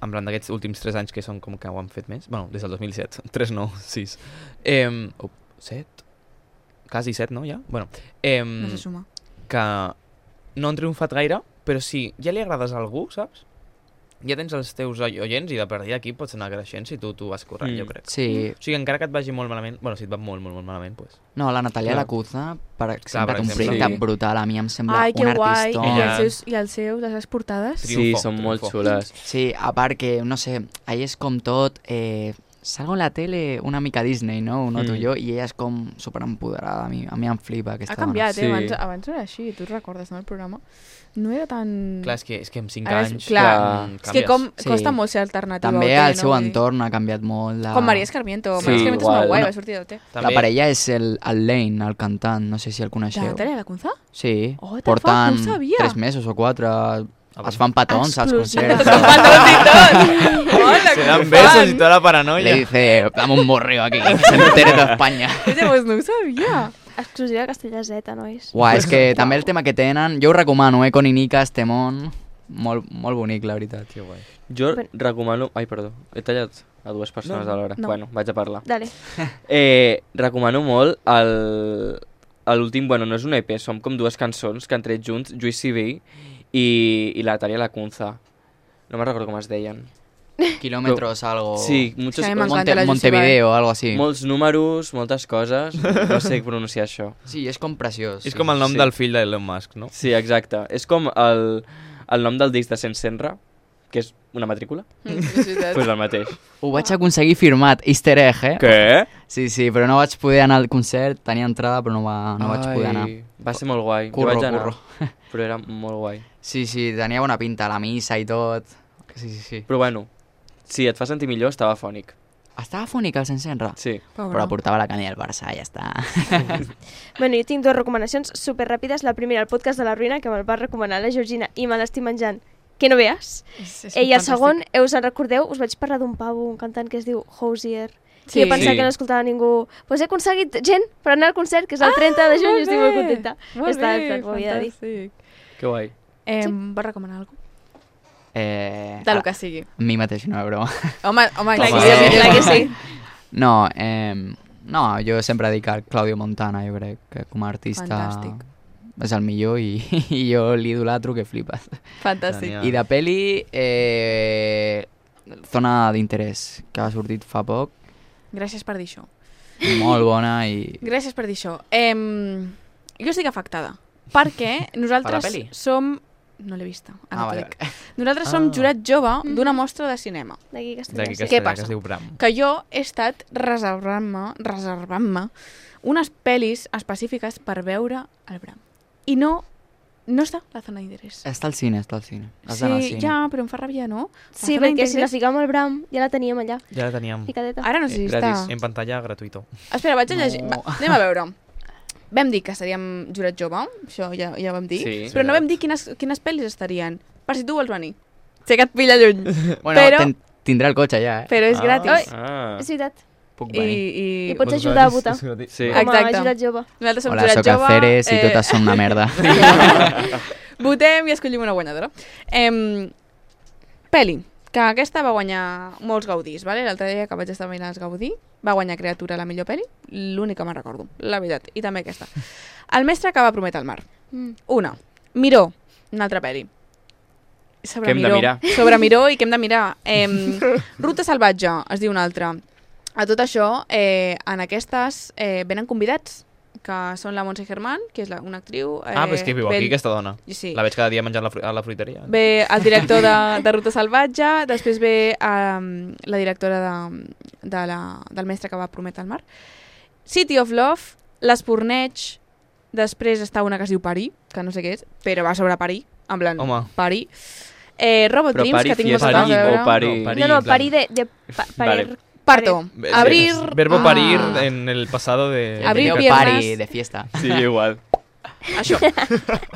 Speaker 6: en plan d'aquests últims 3 anys que són com que ho han fet més, bueno, des del 2007, 3 no, 6. 7? Quasi 7, no, ja? Bueno,
Speaker 1: No se suma.
Speaker 6: que no han triomfat gaire, però si ja li agrades a algú, saps? Ja tens els teus oients i de per aquí pots anar creixent si tu vas corrent, jo crec.
Speaker 5: Sí.
Speaker 6: O sigui, encara que et vagi molt malament, bueno, si et va molt malament, pues...
Speaker 5: No, la Natalia
Speaker 6: Clar.
Speaker 5: Lacuzza, per exemple,
Speaker 6: per
Speaker 5: té un
Speaker 6: exemple.
Speaker 5: projecte
Speaker 1: Sí.
Speaker 5: brutal, a mi em sembla
Speaker 1: Ai, que
Speaker 5: un
Speaker 1: guai.
Speaker 5: artistó.
Speaker 1: I els seus, les seves portades?
Speaker 4: Sí,
Speaker 6: Triunfo,
Speaker 4: són molt
Speaker 6: triunfo.
Speaker 4: xules.
Speaker 5: Sí, a part que, no sé, ahí és com tot... salgo en la tele una mica Disney, no? Ho noto jo, i ella és com superempoderada. A mi em flipa aquesta
Speaker 1: Ha canviat,
Speaker 4: dona. Sí.
Speaker 1: abans no era així, tu recordes, no, el programa? No era tan...
Speaker 6: Clar, és que amb 5
Speaker 1: Ara
Speaker 6: anys...
Speaker 1: clar,
Speaker 6: canvies.
Speaker 1: és que com
Speaker 5: Sí.
Speaker 1: costa molt ser alternativa.
Speaker 5: També
Speaker 1: a OT,
Speaker 5: el seu
Speaker 1: no? Vull dir,
Speaker 5: entorn ha canviat molt.
Speaker 1: Com Maria Escarmiento.
Speaker 4: Sí,
Speaker 1: Maria Escarmiento és
Speaker 4: igual.
Speaker 1: molt guai,
Speaker 5: No.
Speaker 1: va sortir d'OT.
Speaker 5: La parella és el Lane, el cantant, no sé si el
Speaker 1: De
Speaker 5: coneixeu.
Speaker 1: Natalia Lacunza?
Speaker 5: Sí,
Speaker 1: Oh, what the
Speaker 5: porten
Speaker 1: fuck, no ho sabia.
Speaker 5: 3 mesos o 4, es fan petons als
Speaker 1: Explosiva.
Speaker 5: concerts.
Speaker 1: Hola,
Speaker 6: Se dan besos y toda la paranoia.
Speaker 5: Le dice, dame un borreo aquí, que se entere toda España.
Speaker 1: Oye, pues no ho sabia.
Speaker 2: Exclusiva de Castella Z, nois.
Speaker 5: Uau, és que també el tema que tenen, jo ho recomano, Con i Nika, Estemón, molt bonic, la veritat.
Speaker 6: Que guai.
Speaker 4: Jo recomano... Ai, perdó, he tallat a dues persones alhora.
Speaker 1: No.
Speaker 4: Bueno, vaig a parlar.
Speaker 2: Dale.
Speaker 4: Recomano molt l'últim... Bueno, no és un EP, són com dues cançons que han tret junts, Juicy B i la Natalia Lacunza. No me'n recordo com es deien.
Speaker 5: Kilómetros, algo...
Speaker 4: Sí, muchos,
Speaker 1: Sí, a mi m'encanta la
Speaker 5: Montevideo, algo así.
Speaker 4: molts números, moltes coses. No sé pronunciar això.
Speaker 5: Sí, és com preciós.
Speaker 6: És com el nom
Speaker 4: Sí.
Speaker 6: del fill d'Elon Musk, no?
Speaker 4: Sí, exacte. És com el nom del disc de Sensenra, que és una matrícula. Pues el mateix.
Speaker 5: Ho vaig aconseguir firmat, easter egg,
Speaker 4: Què?
Speaker 5: Sí, però no vaig poder anar al concert, tenia entrada però no vaig poder anar.
Speaker 4: Va ser molt guai.
Speaker 5: Curro,
Speaker 4: Jo vaig anar,
Speaker 5: curro.
Speaker 4: però era molt guai.
Speaker 5: Sí, tenia bona pinta, la missa i tot. Sí.
Speaker 4: Però bueno, si et fa sentir millor, estava fònic.
Speaker 5: Estava fònic el Sensenra?
Speaker 4: Sí.
Speaker 5: Però portava la canella del Barça, ja està.
Speaker 2: Bueno, jo tinc 2 recomanacions super ràpides. La primera, el podcast de la Ruïna, que me'l va recomanar la Georgina i me l'estic menjant, que no veas. I el segon, us en recordeu, us vaig parlar d'un pavo, un cantant que es diu Hosier, que jo pensava que no escoltava ningú. Pues he aconseguit gent per anar al concert, que és el 30 de juny, i estic molt contenta. Està ho havia de dir.
Speaker 4: Que guai.
Speaker 1: Vols recomanar alguna cosa? De lo que sigui.
Speaker 5: A mi mateix, no, broma.
Speaker 1: Home,
Speaker 2: Clar que sí.
Speaker 5: No, jo sempre dic al Claudio Montana, jo crec que com a artista
Speaker 1: Fantàstic.
Speaker 5: és el millor i jo l'idolatro que flipes.
Speaker 1: Fantàstic.
Speaker 6: Genial.
Speaker 5: I de peli, Zona d'interès, que ha sortit fa poc,
Speaker 1: Gràcies per dir això.
Speaker 5: molt bona i...
Speaker 1: Gràcies per dir això. Jo estic afectada, perquè nosaltres
Speaker 5: Per la peli?
Speaker 1: som... No l'he vista.
Speaker 5: vale.
Speaker 1: Nosaltres som jurat jove d'una mostra de cinema.
Speaker 2: D'aquí que estic
Speaker 6: D'aquí que
Speaker 1: Què
Speaker 6: es
Speaker 1: passa?
Speaker 6: diu Bram.
Speaker 1: Que jo he estat reservant-me unes pel·lis específiques per veure el Bram. I no està la zona d'interès.
Speaker 5: Està al cine, Has d'anar al
Speaker 1: Sí,
Speaker 5: cine.
Speaker 1: ja, però em fa ràbia, no?
Speaker 2: Sí,
Speaker 1: La zona
Speaker 2: perquè si la
Speaker 1: d'interès-
Speaker 2: ficàvem al Bram, ja la teníem allà,
Speaker 6: Ja la teníem
Speaker 2: ficadeta.
Speaker 1: Ara no sé si està...
Speaker 4: gratis.
Speaker 6: en pantalla gratuïto.
Speaker 1: Espera, vaig a llegir.
Speaker 5: No.
Speaker 1: Anem a veure. Vam dir que seríem jurat jove, això ja ho vam dir,
Speaker 4: Sí.
Speaker 1: però no vam dir quines pel·lis estarien, per si tu vols venir. Sé que et pilla lluny,
Speaker 5: Bueno,
Speaker 1: però-
Speaker 5: tindrà el cotxe ja,
Speaker 1: però és gratis.
Speaker 4: Ah.
Speaker 2: És veritat.
Speaker 5: Puc
Speaker 2: I
Speaker 5: venir.
Speaker 2: pots ajudar a votar.
Speaker 4: Sí.
Speaker 2: Com a
Speaker 1: Exacte.
Speaker 2: jurat jove.
Speaker 1: Nosaltres som
Speaker 5: Hola,
Speaker 1: jurat
Speaker 5: soc
Speaker 1: jove.
Speaker 5: Alferes i totes són una merda.
Speaker 1: Votem i escollim una guanyadora. Peli, que aquesta va guanyar molts gaudís, vale? L'altre dia que vaig estar mirant els Gaudí, va guanyar Creatura la millor peli, l'única que me'n recordo, la veritat, i també aquesta. El mestre que va prometre el mar. Una. Miró, una altra peli. Sobre
Speaker 4: Que hem de
Speaker 1: Miró.
Speaker 4: mirar.
Speaker 1: Sobre Miró i que hem de mirar. Ruta salvatge, es diu una altra. A tot això, en aquestes venen convidats, que són la Montse Germán, que és una actriu...
Speaker 6: Però és que viu aquí, aquesta dona.
Speaker 1: Sí.
Speaker 6: La veig cada dia menjant a la fruiteria.
Speaker 1: Ve el director de Ruta Salvatge, després ve la directora del mestre que va prometre el mar. City of Love, l'Espurneig, després està una que es diu Parí, que no sé què és, però va sobre Parí, en plan,
Speaker 6: Home.
Speaker 1: Parí. Robot
Speaker 4: Però
Speaker 1: Dreams,
Speaker 4: Parí
Speaker 1: que tinc moltes
Speaker 4: Fiesta
Speaker 1: ganes de
Speaker 4: o
Speaker 1: veure.
Speaker 4: Parí...
Speaker 6: No,
Speaker 2: No, Parí de
Speaker 4: Vale.
Speaker 1: Parto. Abrir...
Speaker 6: Verbo parir en el pasado de...
Speaker 1: Abrir
Speaker 5: Verbo
Speaker 1: piernas.
Speaker 5: pari de fiesta.
Speaker 4: Sí, igual.
Speaker 1: Això.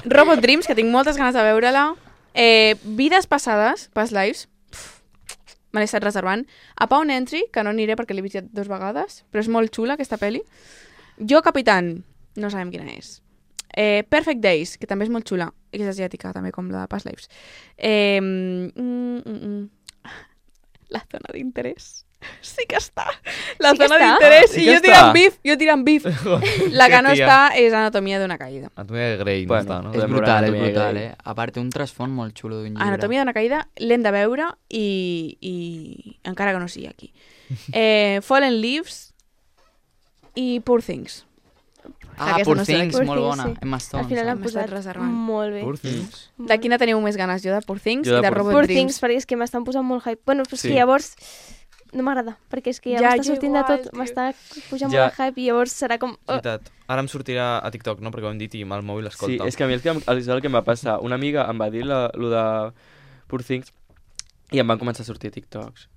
Speaker 1: Robot Dreams, que tinc moltes ganes de veure-la. Vides passades, past lives. Me l'he estat reservant. A Pawn Entry, que no aniré perquè l'he vist ja 2 vegades, però és molt xula aquesta pel·li. Jo Capitán, no sabem quina és. Perfect Days, que també és molt xula, i que és asiàtica, també, com la de Past Lives. La zona d'interès. Sí que està. La zona d'interès.
Speaker 6: Sí
Speaker 1: I
Speaker 6: que
Speaker 1: jo tirant bif. La que no està és Anatomia d'una caïda.
Speaker 6: Anatomia de Grey no està, no?
Speaker 5: És brutal, eh? A part, té un trasfons molt xulo d'un llibre.
Speaker 1: Anatomia d'una caïda l'hem de veure i encara que no sigui aquí. Fallen Leaves i Poor Things.
Speaker 5: Poor Things, molt bona. Emma Stone.
Speaker 2: Al final l'han posat molt bé.
Speaker 6: Poor Things.
Speaker 1: De quina teniu més ganes? Jo de Poor Things
Speaker 4: Jo de
Speaker 1: i de Robot
Speaker 2: Poor
Speaker 1: Dreams.
Speaker 2: Things, perquè és que m'estan posant molt hype. Bueno, però és
Speaker 4: Sí.
Speaker 2: que llavors no m'agrada, perquè és que ja m'està sortint de tot, m'està pujant molt el hype i llavors serà com...
Speaker 6: És veritat. Ara em sortirà a TikTok, no? Perquè ho hem dit i el mòbil
Speaker 4: Sí,
Speaker 6: escolta.
Speaker 4: és que a mi el que em va passar, una amiga em va dir lo de Poor Things i em van començar a sortir TikToks.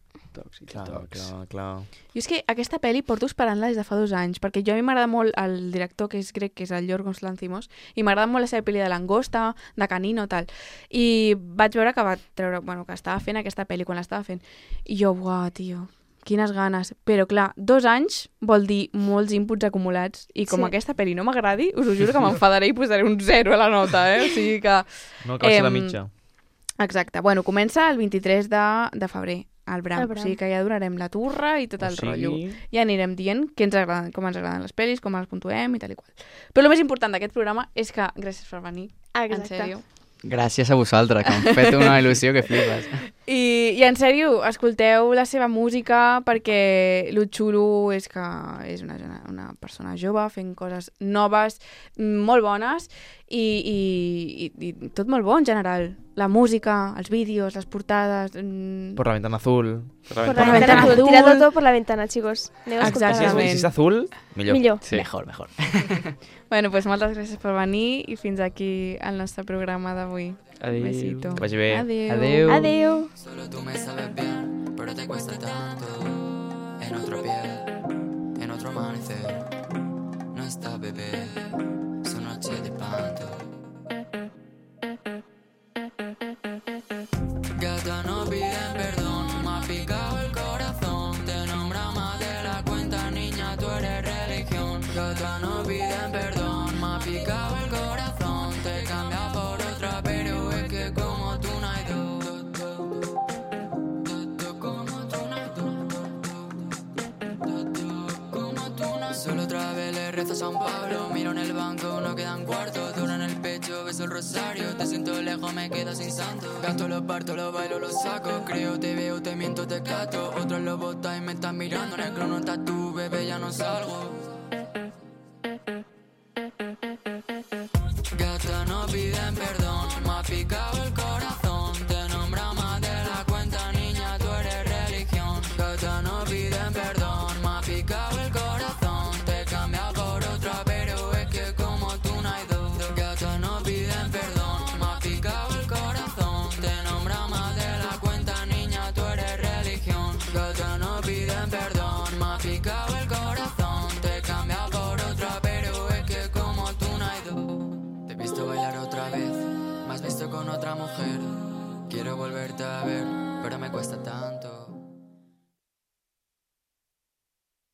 Speaker 6: Clar.
Speaker 1: Jo és que aquesta pel·li porto esperant-la des de fa 2 anys, perquè jo a mi m'agrada molt el director que és grec, que és el Yorgos Lanthimos, i m'agrada molt la seva pel·li de Langosta, de Canino, tal. I vaig veure que va treure, que estava fent aquesta pel·li quan l'estava fent. I jo, uau, tio, quines ganes. Però clar, 2 anys vol dir molts inputs acumulats, i com aquesta pel·li no m'agradi, us ho juro que m'enfadaré i posaré un 0 a la nota, O sigui que...
Speaker 6: No, que va ser la mitja.
Speaker 1: Exacte. Bueno, comença el 23 de febrer. Al Bram. O sigui que ja donarem la turra i tot el rotllo. Ja anirem dient què ens agraden, com ens agraden les pel·lis, com les puntuem i tal i qual. Però el més important d'aquest programa és que gràcies per venir. En sèrio.
Speaker 5: Gràcies a vosaltres, que m'han fet una il·lusió que flipes.
Speaker 1: I en sèrio, escolteu la seva música perquè lo xulo és que és una persona jove fent coses noves, molt bones i tot molt bo en general. La música, els vídeos, les portades...
Speaker 6: Por la ventana azul.
Speaker 2: Por la ventana azul. Tirad todo por la ventana, chicos.
Speaker 1: Exactament.
Speaker 6: Si és azul, millor.
Speaker 5: Sí. Mejor.
Speaker 1: Bueno, pues moltes gràcies per venir i fins aquí el nostre programa d'avui.
Speaker 4: Adéu.
Speaker 1: Besito.
Speaker 6: Que vagi bé.
Speaker 2: Adéu.
Speaker 3: Solo tú me sabes bien, pero te cuesta tanto. En otro piel, en otro amanecer. No está bebé, su noche de espanto. Gata, no piden perdón, me ha picado el corazón. Te nombra más de la cuenta, niña, tú eres religión. Gata, no piden perdón, me ha picado el corazón. Te cambia por otra, pero es que como tú no hay dos. Solo otra vez le rezo a San Pablo. Miro en el banco, no quedan cuartos. Duro en el pecho, beso el rosario. Te siento lejos, me quedo sin santo. Gasto, lo parto, lo bailo, lo saco. Creo, te veo, te miento, te cato. Otros lo botan y me están mirando. En el crono estás tú, bebé, ya no salgo. Gata, no piden perdón. Me ha picado el corazón. Te nombra más de la cuenta, niña, tú eres religión. Gata, no piden perdón. Me ha picado el corazón. Te cambia por otra, pero es que como tú no hay dos. Gata, no piden perdón. Me ha picado el corazón. Te nombra más de la cuenta, niña, tú eres religión. Gata, no piden perdón. Me ha picado el corazón. Te cambia por otra, pero es que como tú no hay dos. Te he visto bailar otra vez, me has visto con otra mujer. Quiero volverte a ver, pero me cuesta tanto.